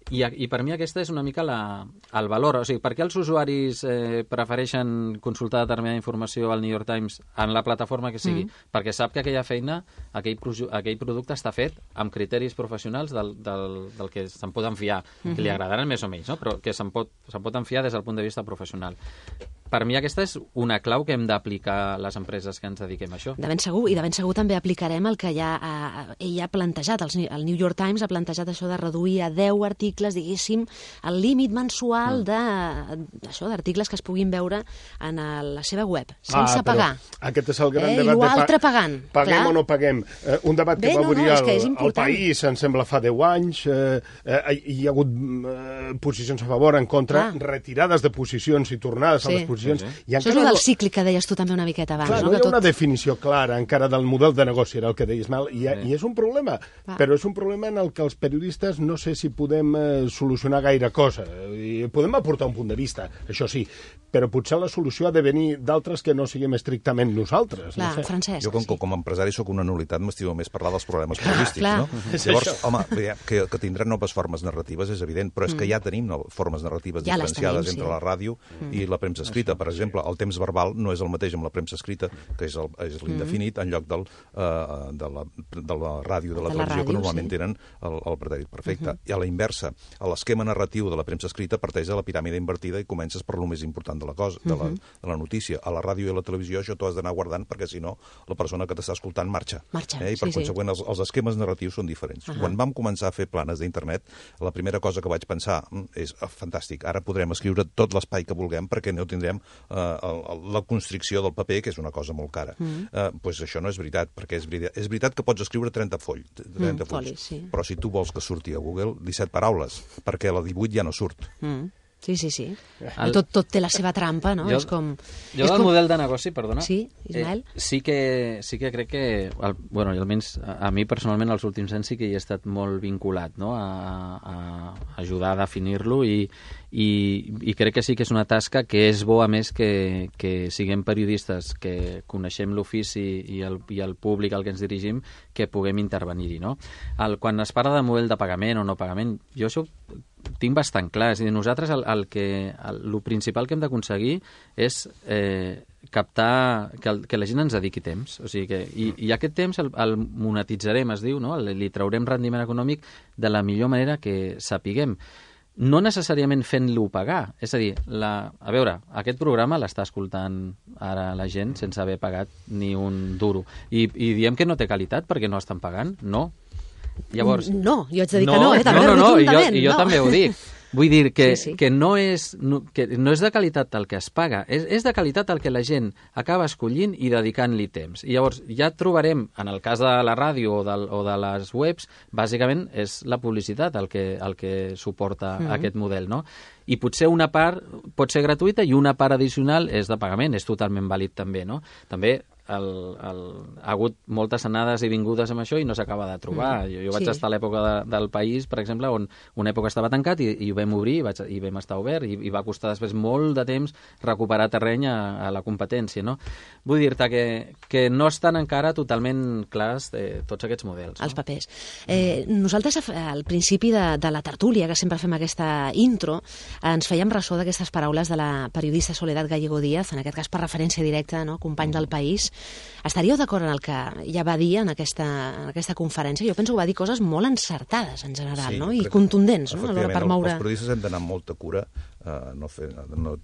I, I per mi aquesta és una mica la, el valor. O sigui, per què els usuaris eh, prefereixen consultar determinada informació al New York Times en la plataforma que sigui? Mm. Perquè sap que aquella feina, aquell, aquell producte està fet amb criteris professionals del, del, del que se'n poden fiar, mm-hmm. que li agradaran més o menys, no? Però que se'n pot, se'n pot enfiar des del punt de vista professional. Per mi aquesta és una clau que hem d'aplicar les empreses que ens dediquem a això. De ben segur, i de ben segur també aplicarem el que ja ha, ell ha plantejat, el, el New York Times ha plantejat això de reduir a deu articles, diguéssim, el límit mensual mm. de, això d'articles que es puguin veure en el, la seva web, sense ah, pagar. Aquest és el gran eh, debat. I l'altre pa pagant. Paguem clar. o no paguem. Eh, un debat que Bé, va no, obrir no, és el, que és el important. País, em sembla, fa deu anys. Eh, eh, hi ha hagut eh, posicions a favor, en contra, Clar. retirades de posicions i tornades Sí. a les posicions. Sí, sí. I Això és el del cíclic que deies tu també una miqueta abans. Clar, no? no hi Que ha una tot... definició clara encara del model de negoci, era el que deies, Mal, i, i és un problema, Va. però és un problema en el que els periodistes no sé si podem eh, solucionar gaire cosa. I podem aportar un punt de vista, això sí, però potser la solució ha de venir d'altres que no siguem estrictament nosaltres. Clar, no sé. Francesc. Jo, com, sí. com a empresari, sóc una nulitat, m'estimo més parlar dels problemes periodístics, clar. no? És Llavors, això. home, veiem que, que tindran noves formes narratives, és evident, però és que ja tenim no, formes narratives Ja les diferenciades tenim, entre sí. la ràdio i la premsa escrita. Per exemple, el temps verbal no és el mateix amb la premsa escrita, que és el- és l'indefinit, en lloc del, eh, de, la, de la ràdio, de la De la televisió, que ràdio, normalment sí. tenen el, el pretèrit perfecte. I a la inversa, a l'esquema narratiu de la premsa escrita parteix de la piràmide invertida i comences per lo més important de la cosa, de la, de la notícia. A la ràdio i a la televisió això t'ho has d'anar guardant perquè, si no, la persona que t'està escoltant marxa. Marxa, eh? I per sí, sí. conseqüent, els, els esquemes narratius són diferents. Uh -huh. Quan vam començar a fer planes d'internet, la primera cosa que vaig pensar "Mm, és ah, fantàstic, ara podrem escriure tot l'espai que vulguem perquè no tindrem eh, el, el, la constricció del paper, que és una cosa molt cara. Mm. Eh, pues això no és veritat, perquè és veritat, és veritat que pots escriure trenta foll, trenta Mm, fulls, folis, sí. però si tu vols que surti a Google, disset paraules, perquè la divuit ja no surt. Mm. Sí, sí, sí. El- Tot, tot té la seva trampa, no? Jo- és com... Jo és del com... model de negoci, perdona... Sí, Ismael? Eh, sí, que, sí que crec que... El, bueno, i almenys a, a mi personalment els últims anys sí que hi he estat molt vinculat, no?, a, a ajudar a definir-lo i, i, i crec que sí que és una tasca que és bo, a més, que, que siguem periodistes, que coneixem l'ofici i, el, i el públic al que ens dirigim, que puguem intervenir-hi, no? El, quan es parla de model de pagament o no pagament, jo això tinc bastant clar. És a dir, nosaltres el, el que, el, el principal que hem d'aconseguir és eh, captar, que, el, que la gent ens dediqui temps. O sigui que, i, i aquest temps el, el monetitzarem, es diu, no? Li, li traurem rendiment econòmic de la millor manera que sapiguem. No necessàriament fent-lo pagar. És a dir, la, a veure, aquest programa l'està escoltant ara la gent sense haver pagat ni un duro. I, i diem que no té qualitat perquè no estan pagant? No. Llavors, No, jo haig de dir no, que no, eh? També, no, no, no, i jo, rotundament, i jo no. també ho dic. Vull dir que, Sí, sí. que, no és, no, que no és de qualitat el que es paga, és, és de qualitat el que la gent acaba escollint i dedicant-li temps. I llavors ja trobarem, en el cas de la ràdio o de, o de les webs, bàsicament és la publicitat el que, el que suporta mm -hmm. aquest model, no? I potser una part pot ser gratuïta i una part addicional és de pagament, és totalment vàlid també, no? També el, el, ha hagut moltes anades i vingudes amb això i no s'acaba de trobar. Mm. Jo, jo vaig Sí. estar a l'època de, del País, per exemple, on una època estava tancat i, i ho vam obrir i, vaig, i vam estar obert i, i va costar després molt de temps recuperar terreny a, a la competència, no? Vull dir-te que, que no estan encara totalment clars eh, tots aquests models. No? Els papers. Eh, nosaltres, al principi de, de la tertúlia, que sempre fem aquesta intro, ens fèiem ressò d'aquestes paraules de la periodista Soledad Gallego Díaz, en aquest cas per referència directa, no? Company del País. Estaríeu d'acord en el que ja va dir en aquesta, en aquesta conferència? Jo penso que va dir coses molt encertades, en general, Sí, no? I crec que, contundents, no? Alhora per efectivament, moure... Els periodistes hem d'anar amb molta cura, eh, no fer... No,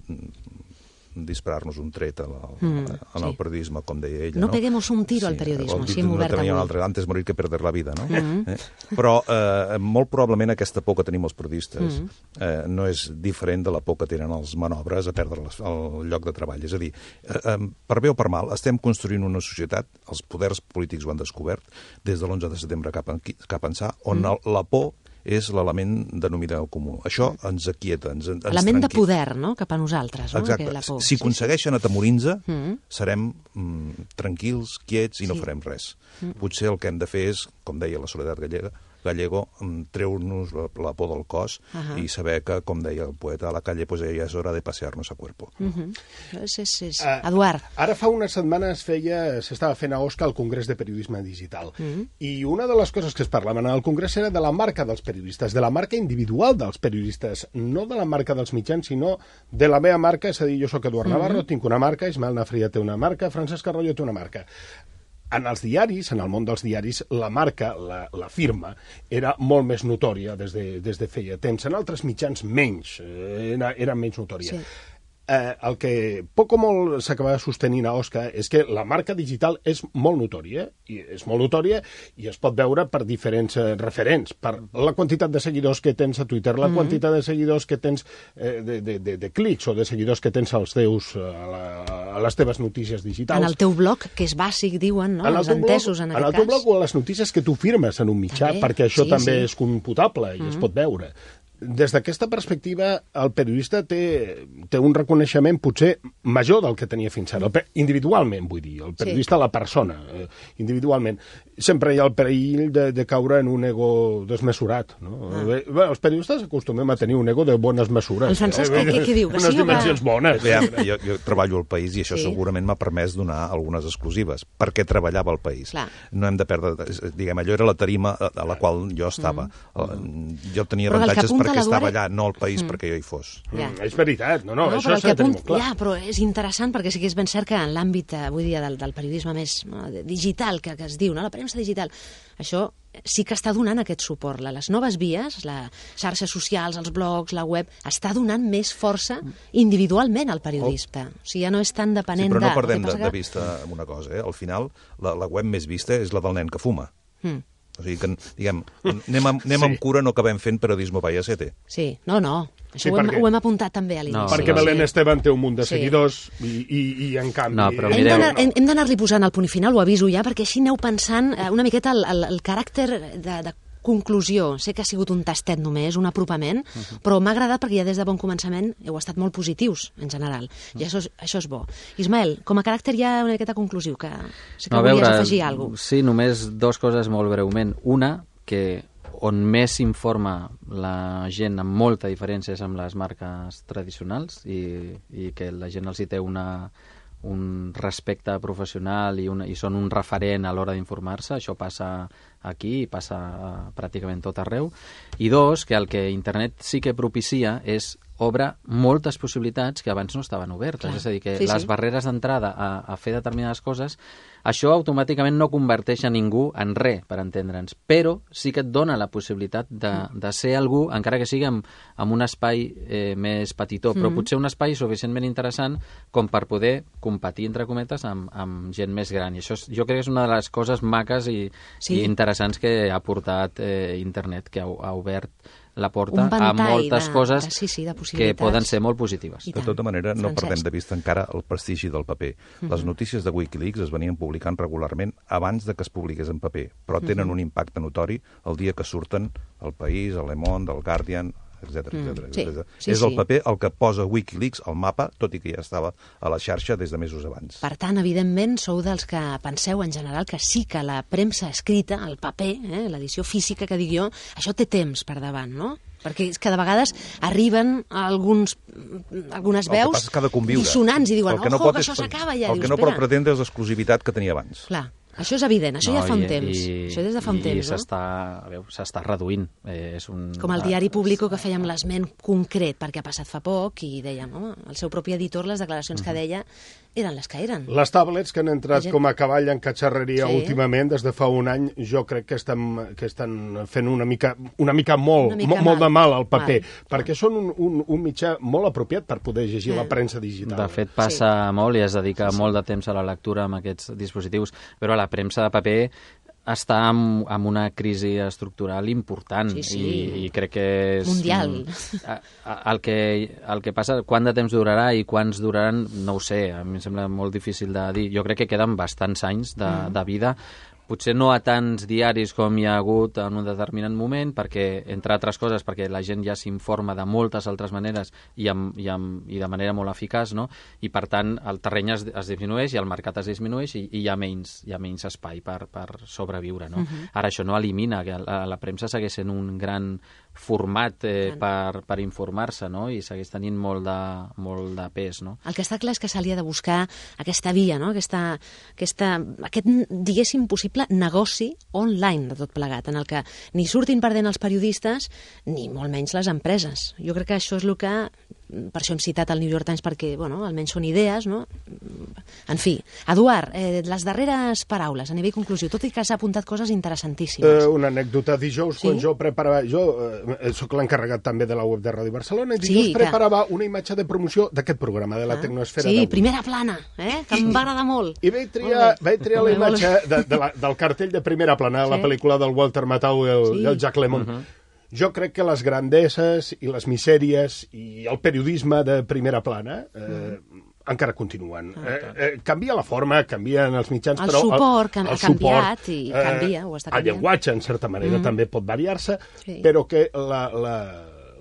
disparar-nos un tret a la, Mm, en el sí. periodisme, com deia ella. No No, peguemos un tiro al periodismo, o així dit hem d'una obert altra manera, avui. un altre, antes morir que perder la vida, no? Mm. eh? Però eh, molt probablement aquesta por que tenim els periodistes Mm. eh, no és diferent de la por que tenen els manobres a perdre les, el lloc de treball. És a dir, eh, eh, per bé o per mal, estem construint una societat, els poders polítics ho han descobert, des de l'onze de setembre cap, en, cap ençà, on mm. la por és l'element denominador comú. Això ens aquieta, ens, ens Element de tranquil. poder, no?, cap a nosaltres, no? Exacte. La por. Si aconsegueixen atemorir-nos, Mm -hmm. serem mm, tranquils, quiets i no Sí. farem res. Mm. Potser el que hem de fer és, com deia la Soledat Gallega, Gallego, treure-nos la, la por del cos uh -huh. i saber que, com deia el poeta a la calle, pues ja és hora de pasear-nos a cuerpo. Uh -huh. és, és, és. Uh, Eduard. Ara fa unes setmanes feia, s'estava fent a Osca el Congrés de Periodisme Digital. Uh -huh. I una de les coses que es parlaven al Congrés era de la marca dels periodistes, de la marca individual dels periodistes, no de la marca dels mitjans, sinó de la meva marca, és a dir, jo sóc Eduard Navarro, uh -huh. tinc una marca, Ismael Nafria té una marca, Francesc Arroyo té una marca. En els diaris, en el món dels diaris, la marca, la, la firma, era molt més notòria des de, des de feia temps. En altres mitjans, menys, eh, era, era menys notòria. Sí. Eh, el que poc o molt s'acaba sostenint a Osca és que la marca digital és molt notòria, i és molt notòria i es pot veure per diferents eh, referents, per la quantitat de seguidors que tens a Twitter, la mm -hmm. quantitat de seguidors que tens eh, de, de, de, de clics o de seguidors que tens als teus, a, la, a les teves notícies digitals. En el teu blog, que és bàsic, diuen, no? En el Els teu entesos, blog, en en aquest el teu cas. blog o a les notícies que tu firmes en un mitjà, També, perquè això sí, també sí. és computable i mm -hmm. es pot veure. Des d'aquesta perspectiva, el periodista té, té un reconeixement potser major del que tenia fins ara, el, individualment, vull dir, el periodista, sí. la persona, eh, individualment. Sempre hi ha el perill de, de caure en un ego desmesurat, no? Ah. Bé, bé, els periodistes acostumem a tenir un ego de bones mesures. El Francesc, eh? què, què diu? Que Unes sí, dimensions va... bones. Bé, jo, jo treballo al País i això Sí. sí. segurament m'ha permès donar algunes exclusives, perquè treballava al País. Clar. No hem de perdre... Diguem, allò era la tarima a la qual jo estava. Mm. Jo tenia Però el que avantatges apunta perquè l'Eduard- estava allà, no al País mm. perquè jo hi fos. Ja. Mm, és veritat, no, no, No, això però el s'ha que de tenir apunt... molt clar. Ja, però és interessant perquè sí que és ben cert que en l'àmbit, avui dia, del, del periodisme més no, digital, que, que es diu, no? La premsa digital, això sí que està donant aquest suport. Les noves vies, les xarxes socials, els blogs, la web, està donant més força individualment al periodista. O sigui, ja no és tan Sí, depenent però no de... perdem El que de, passa de que- vista una cosa, eh? Al final, la, la web més vista és la del nen que fuma. Mm. O sigui que, diguem, anem, amb, anem Sí. amb cura, no acabem fent periodisme vaya sete. Sí, no, no. Això Sí, ho, hem, perquè- ho hem apuntat també a l'inici. No, Perquè sí. Belén Esteban té un munt de Sí. seguidors i, i, i en canvi... No, però Hem mireu- d'anar- hem hem d'anar-li posant el punt i final, ho aviso ja, perquè així aneu pensant eh, una miqueta el, el, el caràcter de, de conclusió. Sé que ha sigut un tastet només, un apropament, uh -huh. però m'ha agradat perquè ja des de bon començament heu estat molt positius, en general. I això és, això és bo. Ismael, com a caràcter ja una miqueta conclusiu, que sé que No, a volies veure, afegir alguna cosa. Sí, només dues coses molt breument. Una, que on més s'informa la gent amb molta diferència és amb les marques tradicionals i, i que la gent els hi té una, un respecte professional i, una, i són un referent a l'hora d'informar-se. Això passa aquí i passa uh, pràcticament tot arreu. I dos, que el que internet sí que propicia és obre moltes possibilitats que abans no estaven obertes. Clar. És a dir, que Sí, les sí. barreres d'entrada a, a fer determinades coses, això automàticament no converteix a ningú en res, per entendre'ns, però sí que et dona la possibilitat de, de ser algú, encara que sigui amb, amb un espai eh, més petitó, però Mm. potser un espai suficientment interessant com per poder competir, entre cometes, amb, amb gent més gran. I això és, jo crec que és una de les coses maques i, Sí. i interessants que ha portat eh, internet, que ha, ha obert la porta Un a ventall moltes de- coses de- sí, sí, de que possibilitats. poden ser molt positives. I De tant. tota manera, no Francesc. perdem de vista encara el prestigi del paper. Les notícies de Wikileaks es venien publicant regularment abans de que es publiqués en paper, però tenen un impacte notori el dia que surten al País, a Le Monde, al Guardian, etcètera, Mm, etcètera, sí, etcètera. sí, És el sí. paper el que posa Wikileaks al mapa, tot i que ja estava a la xarxa des de mesos abans. Per tant, evidentment, sou dels que penseu en general que sí que la premsa escrita, el paper, eh, l'edició física que dic jo, això té temps per davant, no? Perquè és que de vegades arriben alguns, algunes El que veus passa és que ha de conviure. dissonants i diuen, El que no ojo, pot que és- això s'acaba ja. El que Dius, no pot espera. pretendre és l'exclusivitat que tenia abans. Clar, això és evident, això ja fa un i, temps. I, això des de fa un i temps, no? s'està, a veure, s'està reduint. Eh, és un, Com el diari Público, que fèiem l'esment concret, perquè ha passat fa poc, i dèiem, home, el seu propi editor, les declaracions que deia, eren les que eren. Les tablets que han entrat gent- com a cavall en catxarreria Sí. últimament, des de fa un any, jo crec que estan, que estan fent una mica, una mica molt, Una mica molt, molt mal. de mal al paper, Mal. perquè són un, un, un mitjà molt apropiat per poder llegir Eh. la premsa digital. De fet, passa sí. molt i es dedica sí, sí. molt de temps a la lectura amb aquests dispositius, però la premsa de paper està en, en una crisi estructural important Sí, sí. I, i crec que és... Mundial. A, a, el, que, el que passa, quant de temps durarà i quants duraran, no ho sé, a mi em sembla molt difícil de dir. Jo crec que queden bastants anys de, mm. de vida, potser no a tants diaris com hi ha hagut en un determinat moment, perquè, entre altres coses, perquè la gent ja s'informa de moltes altres maneres i, amb, i, amb, i de manera molt eficaç, no? I per tant el terreny es, es disminueix i el mercat es disminueix i, i hi, ha menys, hi ha menys espai per, per sobreviure, no? Uh-huh. Ara això no elimina que la, la premsa segueix sent un gran format eh, per, per informar-se, no? I segueix tenint molt de, molt de pes, no? El que està clar és que se li ha de buscar aquesta via, no? Aquesta, aquesta, aquest, diguéssim, possible negoci online de tot plegat, en el que ni surtin perdent els periodistes ni molt menys les empreses. Jo crec que això és el que, per això hem citat el New York Times, perquè, bueno, almenys són idees, no? En fi, Eduard, eh, les darreres paraules a nivell conclusiu, tot i que has apuntat coses interessantíssimes. Uh, una anècdota. Dijous, sí? Quan jo preparava... Jo eh, sóc l'encarregat també de la web de Ràdio Barcelona, i dijous sí, preparava que... una imatge de promoció d'aquest programa, de la ah, Tecnosfera. Sí, primera plana, eh? Que em va agradar molt. I vaig triar, vaig triar la imatge de, de la, del cartell de primera plana, sí? La pel·lícula del Walter Matthau i el, sí. i el Jack Lemmon. Uh -huh. Jo crec que les grandesses i les misèries i el periodisme de primera plana eh, mm. encara continuen. Ah, eh, eh, canvia la forma, canvien els mitjans, el però... Suport, el, el el suport ha canviat eh, i canvia, ho està canviant. El llenguatge, en certa manera, mm. també pot variar-se, sí. però que la... la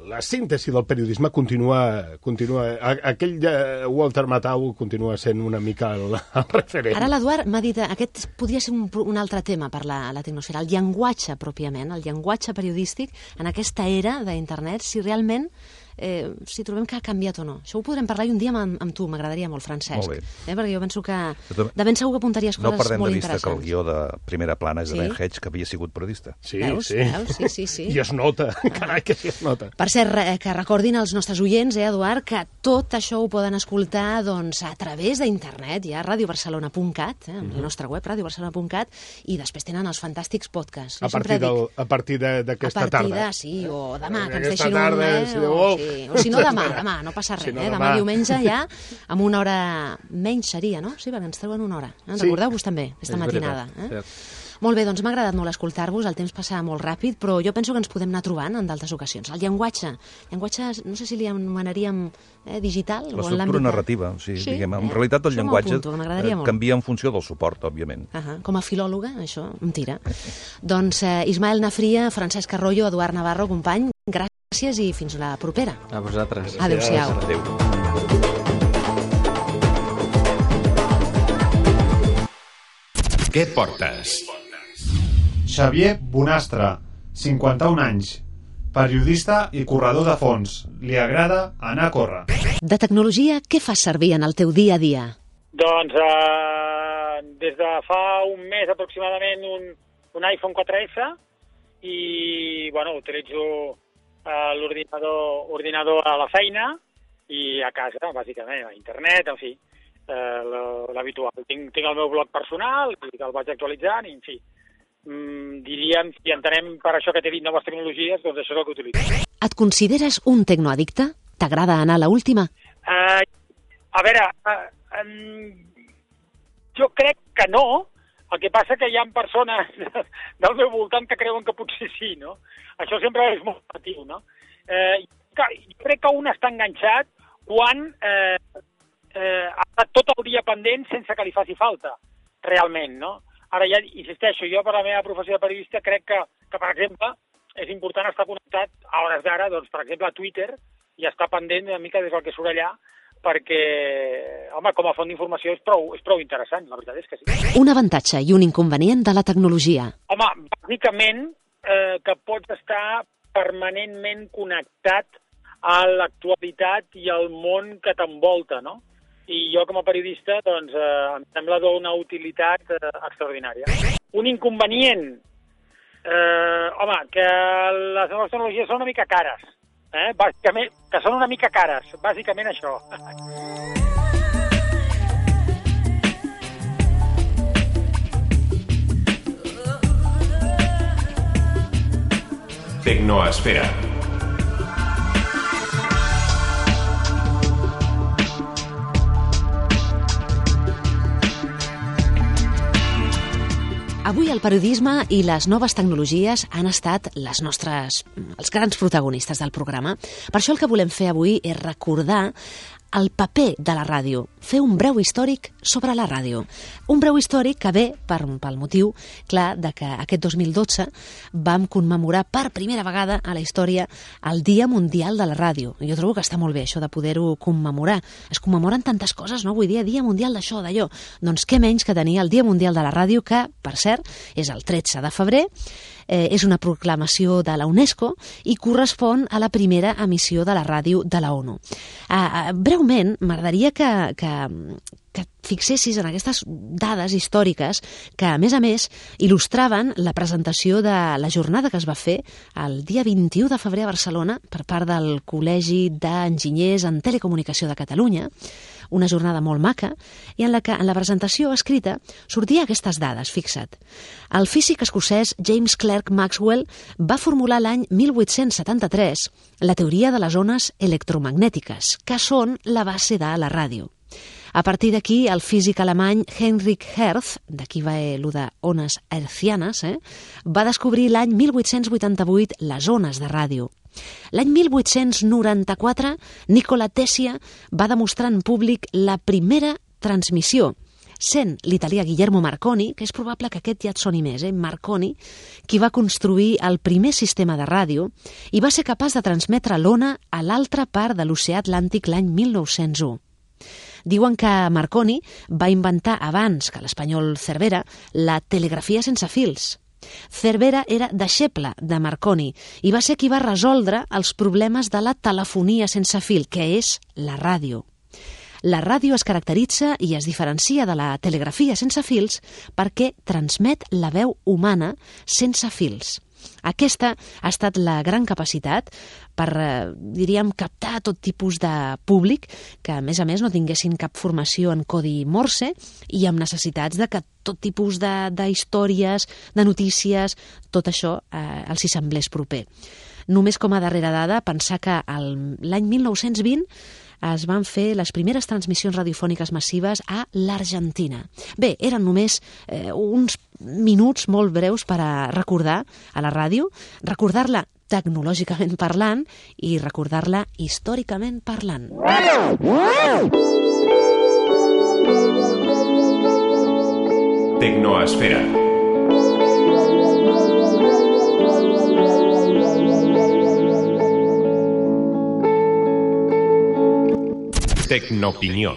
la síntesi del periodisme continua... continua aquell de Walter Matthau continua sent una mica el, el referent. Ara l'Eduard m'ha dit, aquest podria ser un, un altre tema per la, la tecnosfera, el llenguatge pròpiament, el llenguatge periodístic en aquesta era d'internet, si realment eh, si trobem que ha canviat o no. Això ho podrem parlar i un dia amb, amb tu, m'agradaria molt, Francesc. Molt bé. Eh, perquè jo penso que de ben segur que apuntaries coses molt interessants. No perdem de vista que el guió de primera plana és de sí? Ben Hedge, que havia sigut periodista. Sí, veus? sí. Veus? Sí, sí, sí. I es nota, carai, que sí es nota. Per cert, que recordin als nostres oients, eh, Eduard, que tot això ho poden escoltar doncs, a través d'internet, ja a radio barcelona punt cat, eh, amb mm-hmm. la nostra web, radio barcelona punt cat, i després tenen els fantàstics podcasts. A partir, del, a partir d'aquesta tarda. A partir de, sí, o demà, que ens deixin un... Tarda, Eh, si o, sí, o si no demà, demà, no passa res, si no, eh? Demà, demà diumenge ja, amb una hora menys seria, no? Sí, perquè ens treuen una hora. Eh? Sí. Recordeu-vos també, aquesta matinada. Eh? Molt bé, doncs m'ha agradat molt escoltar-vos, el temps passa molt ràpid, però jo penso que ens podem anar trobant en d'altres ocasions. El llenguatge, llenguatge, no sé si li anomenaríem eh, digital o en l'àmbit... L'estructura narrativa, o sigui, sí, diguem, en eh? realitat el això llenguatge apunto, canvia en funció del suport, òbviament. Uh -huh. Com a filòloga, això em tira. Doncs eh, Ismael Nafria, Francesc Arroyo, Eduard Navarro, company, gràcies i fins la propera. A vosaltres. Adéu-siau. Adéu. Què portes? Xavier Bonastre, cinquanta-un anys, periodista i corredor de fons. Li agrada anar a córrer. De tecnologia, què fas servir en el teu dia a dia? Doncs eh, des de fa un mes aproximadament un, un iPhone quatre esse i bueno, utilitzo eh, l'ordinador ordinador a la feina i a casa, bàsicament, a internet, en fi, eh, l'habitual. Tinc, tinc el meu blog personal, que el vaig actualitzant i, en fi, Mm, diríem, si entenem per això que t'he dit noves tecnologies, doncs això és el que utilitzo. Et consideres un tecnoaddicte? T'agrada anar a l'última? Uh, a veure, uh, um, jo crec que no, el que passa que hi ha persones del meu voltant que creuen que potser sí, no? Això sempre és molt relatiu, no? Uh, jo crec que un està enganxat quan uh, uh, ha estat tot el dia pendent sense que li faci falta, realment, no? Ara ja insisteixo, jo per la meva professió de periodista crec que, que per exemple, és important estar connectat a hores d'ara, doncs, per exemple, a Twitter, i estar pendent una mica des del que surt allà, perquè, home, com a font d'informació és prou, és prou interessant, la veritat és que sí. Un avantatge i un inconvenient de la tecnologia. Home, bàsicament, eh, que pots estar permanentment connectat a l'actualitat i al món que t'envolta, no? I jo, com a periodista, doncs, eh, em sembla d'una utilitat eh, extraordinària. Un inconvenient, eh, home, que les noves tecnologies són una mica cares, eh? Bàsicament, que són una mica cares, bàsicament això. Tecnoesfera. Avui el periodisme i les noves tecnologies han estat les nostres, els grans protagonistes del programa. Per això el que volem fer avui és recordar el paper de la ràdio, fer un breu històric sobre la ràdio. Un breu històric que ve per, pel motiu, clar, de que aquest dos mil dotze vam commemorar per primera vegada a la història el Dia Mundial de la Ràdio. Jo trobo que està molt bé això de poder-ho commemorar. Es commemoren tantes coses, no? Avui dia, Dia Mundial d'això, d'allò. Doncs què menys que tenir el Dia Mundial de la Ràdio, que, per cert, és el tretze de febrer, Eh, és una proclamació de la UNESCO i correspon a la primera emissió de la ràdio de la ONU. Uh, breument, m'agradaria que, que, que fixessis en aquestes dades històriques que, a més a més, il·lustraven la presentació de la jornada que es va fer el dia vint-i-u de febrer a Barcelona per part del Col·legi d'Enginyers en Telecomunicació de Catalunya, una jornada molt maca, i en la que en la presentació escrita sortia aquestes dades, fixa't. El físic escocès James Clerk Maxwell va formular l'any mil vuit-cents setanta-tres la teoria de les ones electromagnètiques, que són la base de la ràdio. A partir d'aquí, el físic alemany Heinrich Hertz, d'aquí va allò de ones hertzianes, eh, va descobrir l'any mil vuit-cents vuitanta-vuit les ones de ràdio. L'any mil vuit-cents noranta-quatre, Nikola Tesla va demostrar en públic la primera transmissió, sent l'italià Guillermo Marconi, que és probable que aquest ja et soni més, eh? Marconi, qui va construir el primer sistema de ràdio i va ser capaç de transmetre l'ona a l'altra part de l'oceà Atlàntic l'any mil nou-cents u. Diuen que Marconi va inventar abans que l'espanyol Cervera la telegrafia sense fils. Cervera era deixeble de Marconi i va ser qui va resoldre els problemes de la telefonia sense fil, que és la ràdio. La ràdio es caracteritza i es diferencia de la telegrafia sense fils perquè transmet la veu humana sense fils. Aquesta ha estat la gran capacitat per, eh, diríem, captar tot tipus de públic que, a més a més, no tinguessin cap formació en codi Morse i amb necessitats de que tot tipus de, de històries, de notícies, tot això eh, els hi semblés proper. Només com a darrera dada, pensar que el, l'any mil nou-cents vint es van fer les primeres transmissions radiofòniques massives a l'Argentina. Bé, eren només eh, uns minuts molt breus per a recordar a la ràdio, recordar-la tecnològicament parlant i recordar-la històricament parlant. Tecnoesfera. Tecnoopinió.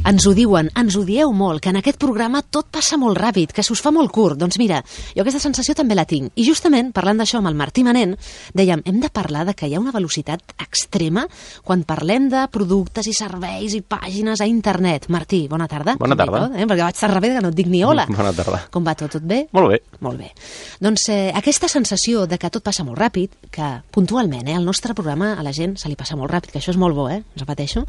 Ens ho diuen, ens ho dieu molt, que en aquest programa tot passa molt ràpid, que s'us fa molt curt. Doncs mira, jo aquesta sensació també la tinc. I justament, parlant d'això amb el Martí Manent, dèiem, hem de parlar de que hi ha una velocitat extrema quan parlem de productes i serveis i pàgines a internet. Martí, bona tarda. Bona tarda. Tot, eh? Perquè vaig estar rebé que no et dic ni hola. Bona tarda. Com va tot? Tot bé? Molt bé. Molt bé. Doncs eh, aquesta sensació de que tot passa molt ràpid, que puntualment eh, el nostre programa a la gent se li passa molt ràpid, que això és molt bo, eh? Us repeteixo.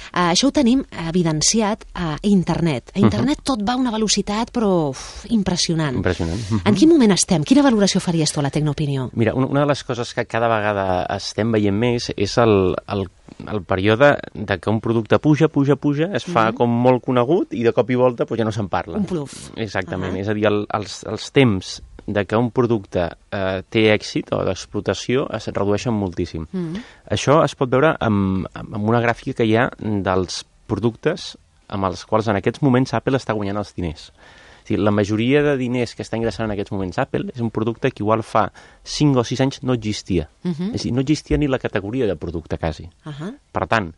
Uh, això ho tenim evidenciat a internet. A internet uh -huh. tot va a una velocitat, però uf, impressionant. Impressionant. Uh -huh. En quin moment estem? Quina valoració faries tu a la Tecnoopinió? Mira, una de les coses que cada vegada estem veient més és el, el, el període de que un producte puja, puja, puja, es fa uh -huh. com molt conegut i de cop i volta pues, ja no se'n parla. Un pluf. Exactament. Uh -huh. És a dir, el, els, els temps de que un producte eh, té èxit o d'explotació es redueixen moltíssim. Mm. Això es pot veure amb, amb una gràfica que hi ha dels productes amb els quals en aquests moments Apple està guanyant els diners. O sigui, la majoria de diners que està ingressant en aquests moments Apple és un producte que igual fa cinc o sis anys no existia. Uh -huh. És a dir, no existia ni la categoria de producte quasi. Uh -huh. Per tant,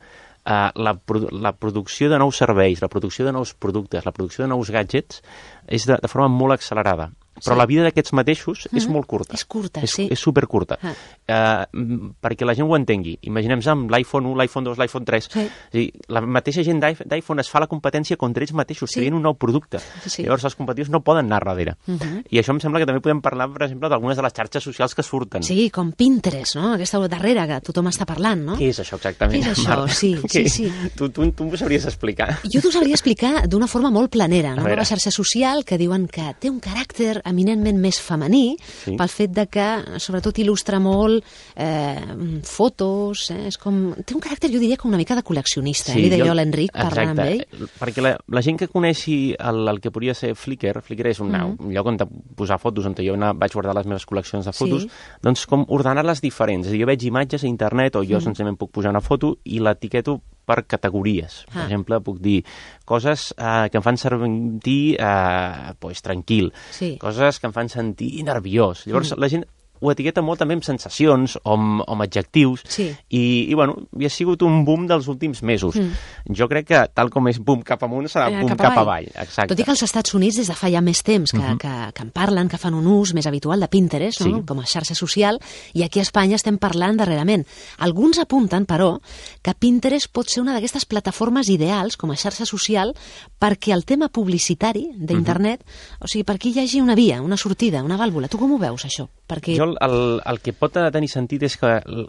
eh, la, la producció de nous serveis, la producció de nous productes, la producció de nous gadgets és de, de forma molt accelerada. Però sí. la vida d'aquests mateixos mm-hmm. és molt curta. És curta, és, sí. És supercurta. Ah. Uh, perquè la gent ho entengui. Imaginem-nos amb l'iPhone u, l'iPhone dos, l'iPhone tres. Sí. És a dir, la mateixa gent d'iPhone es fa la competència contra ells mateixos, sí. creient un nou producte. Sí. Llavors els competitius no poden anar darrere. Mm-hmm. I això em sembla que també podem parlar, per exemple, d'algunes de les xarxes socials que surten. Sí, com Pinterest, no? Aquesta darrera que tothom està parlant, no? Què és això exactament? Què és això? Sí, sí, sí. Tu, tu, tu m'ho sabries explicar? Jo t'ho sabria explicar d'una forma molt planera, no? Una xarxa social que diuen que té un caràcter eminentment més femení, sí. pel fet de que, sobretot, il·lustra molt eh, fotos, eh, és com... Té un caràcter, jo diria, com una mica de col·leccionista, sí, eh? Li deia jo a l'Enric, parlant amb ell. Perquè la, la gent que coneixi el, el que podria ser Flickr, Flickr és un, mm. un lloc on posar fotos, on jo anar, vaig guardar les meves col·leccions de fotos, sí. doncs com ordenar-les diferents. És a dir, jo veig imatges a internet, o jo mm. senzillament puc posar una foto i l'etiqueto per categories. Per Ah. exemple, puc dir coses eh, que em fan sentir eh, pues, tranquil, Sí. coses que em fan sentir nerviós. Llavors, mm. la gent ho etiqueta molt també amb sensacions o amb, o amb adjectius Sí. i, i bueno, i ha sigut un boom dels últims mesos. Mm. Jo crec que tal com és boom cap amunt serà Eh, boom cap cap, avall. avall. Exacte. Tot i que als Estats Units des de fa ja més temps que, Mhm. que, que en parlen, que fan un ús més habitual de Pinterest, no? Sí. Com a xarxa social, i aquí a Espanya estem parlant darrerament. Alguns apunten, però, que Pinterest pot ser una d'aquestes plataformes ideals com a xarxa social perquè el tema publicitari d'internet, o sigui, per aquí hi hagi una via, una sortida, una vàlvula. Tu com ho veus, això? Perquè... Jo el, el que pot tenir sentit és que l-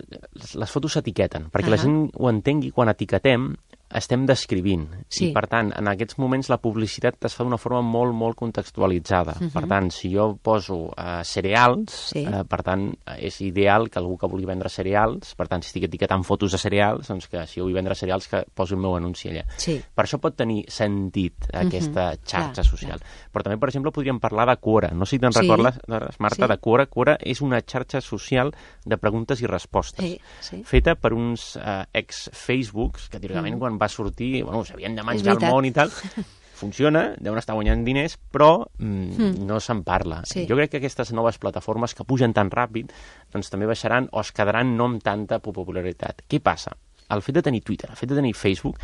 les fotos s'etiqueten, perquè la Ahà. gent ho entengui quan etiquetem estem descrivint. Sí. I, per tant, en aquests moments la publicitat es fa d'una forma molt, molt contextualitzada. Mhm. Per tant, si jo poso uh, cereals, Sí. uh, per tant, és ideal que algú que vulgui vendre cereals, per tant, si estic etiquetant fotos de cereals, doncs que si jo vull vendre cereals que posi el meu anunci allà. Sí. Per això pot tenir sentit aquesta Mhm. xarxa Clar, social. Però també, per exemple, podríem parlar de Quora. No sé si te'n Sí. recordes, Marta, Sí. de Quora. Quora és una xarxa social de preguntes i respostes, Sí, sí. feta per uns uh, ex-Facebooks que, teòricament, Mm. quan va sortir, bueno, s'havien de És menjar el veritat. món i tal. Funciona, deuen estar guanyant diners, però mm, Mm. no se'n parla. Sí. Jo crec que aquestes noves plataformes que pugen tan ràpid doncs també baixaran o es quedaran no amb tanta popularitat. Què passa? El fet de tenir Twitter, el fet de tenir Facebook,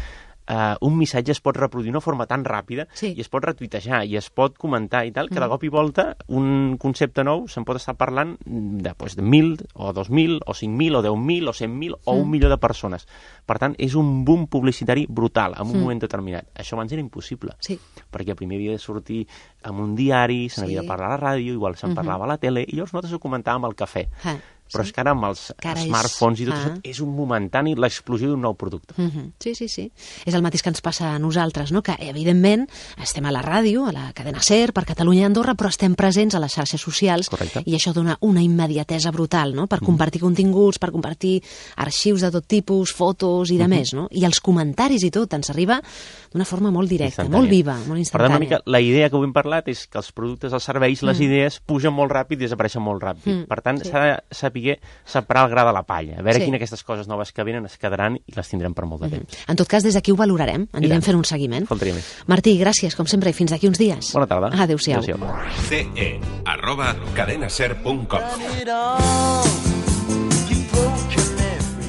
Uh, un missatge es pot reproduir d'una forma tan ràpida Sí. i es pot retuitejar i es pot comentar i tal, que de Mm. cop i volta un concepte nou se'n pot estar parlant de, pues, de mil o dos mil o cinc mil o deu mil o cent mil o Mm. un milió de persones. Per tant, és un boom publicitari brutal en un Mm. moment determinat. Això abans era impossible, Sí. perquè primer havia de sortir en un diari, se n'havia Sí. de parlar a la ràdio, igual se'n Mhm. parlava a la tele, i llavors nosaltres ho comentàvem al cafè. Ah, Però sí. és que ara amb els Que ara és- smartphones i tot ah. això és un momentani l'explosió d'un nou producte. Mhm. Sí, sí, sí. És el mateix que ens passa a nosaltres, no? Que, evidentment, estem a la ràdio, a la cadena SER, per Catalunya i Andorra, però estem presents a les xarxes socials. Correcte. I això dona una immediatesa brutal, no? Per compartir continguts, per compartir arxius de tot tipus, fotos i de Mhm. més, no? I els comentaris i tot ens arriba d'una forma molt directa, Instantània. molt viva, molt Per tant, instantània. una mica la idea que avui hem parlat és que els productes, els serveis, les Mm. idees pugen molt ràpid i desapareixen molt ràpid. Mm, Per tant, sí. s'ha de saber separar el gra de la palla, a veure Sí. quines d'aquestes coses noves que venen es quedaran i les tindrem per molt de Mhm. temps. En tot cas, des d'aquí ho valorarem, anirem tant. fent un seguiment. Faltaria més. Martí, gràcies, com sempre, i fins d'aquí uns dies. Bona tarda. Adéu-siau. ce e arroba cadenaser punt com.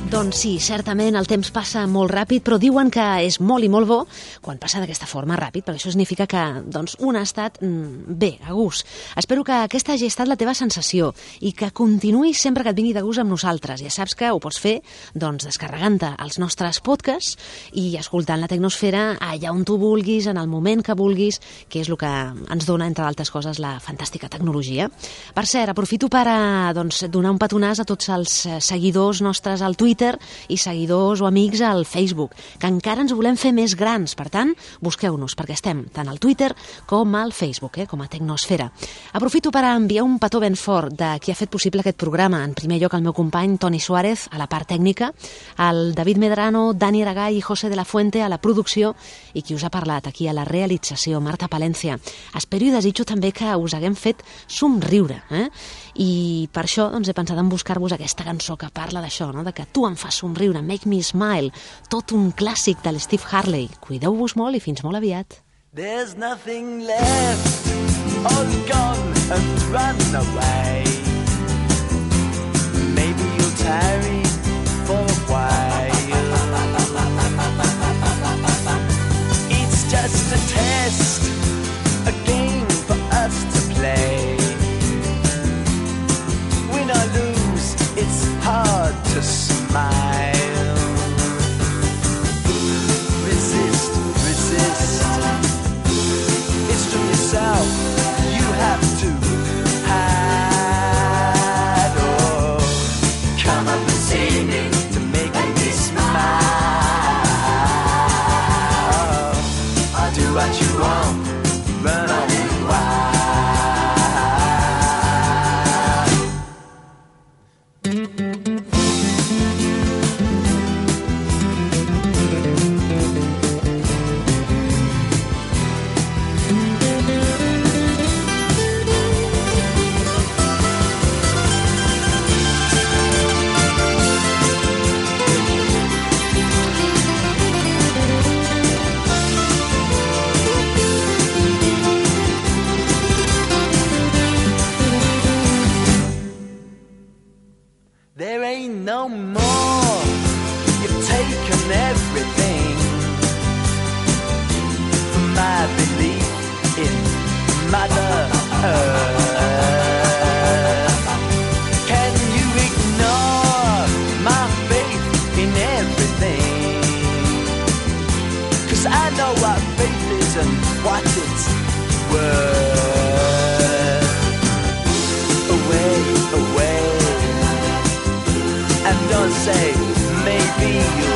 Doncs sí, certament el temps passa molt ràpid, però diuen que és molt i molt bo quan passa d'aquesta forma ràpid, perquè això significa que doncs, un ha estat mm, bé, a gust. Espero que aquesta hagi estat la teva sensació i que continuïs sempre que et vingui de gust amb nosaltres. Ja saps que ho pots fer doncs, descarregant-te els nostres podcasts i escoltant la Tecnosfera allà on tu vulguis, en el moment que vulguis, que és el que ens dona, entre d'altres coses, la fantàstica tecnologia. Per cert, aprofito per a, doncs, donar un petonàs a tots els eh, seguidors nostres al Twitter i seguidors o amics al Facebook, que encara ens volem fer més grans. Per tant, busqueu-nos, perquè estem tant al Twitter com al Facebook, eh, com a Tecnosfera. Aprofito per enviar un petó ben fort de qui ha fet possible aquest programa. En primer lloc, el meu company Toni Suárez, a la part tècnica, el David Medrano, Dani Aragall i José de la Fuente a la producció, i qui us ha parlat aquí a la realització, Marta Palència. Espero i desitjo també que us haguem fet somriure, eh? I per això doncs, he pensat en buscar-vos aquesta cançó que parla d'això, no? De que tu em fas somriure, Make Me Smile, tot un clàssic de l'Steve Harley. Cuideu-vos molt i fins molt aviat. There's nothing left, all gone and run away. Maybe you'll tarry for a while. It's just a test, a game for us to play. Win or lose, it's hard to smile. Resist, resist. It's from yourself you have to hide. Oh, come up and see me to make me smile. I'll do what you want, run on it wild. and what it's worth. Away, away, and don't say maybe you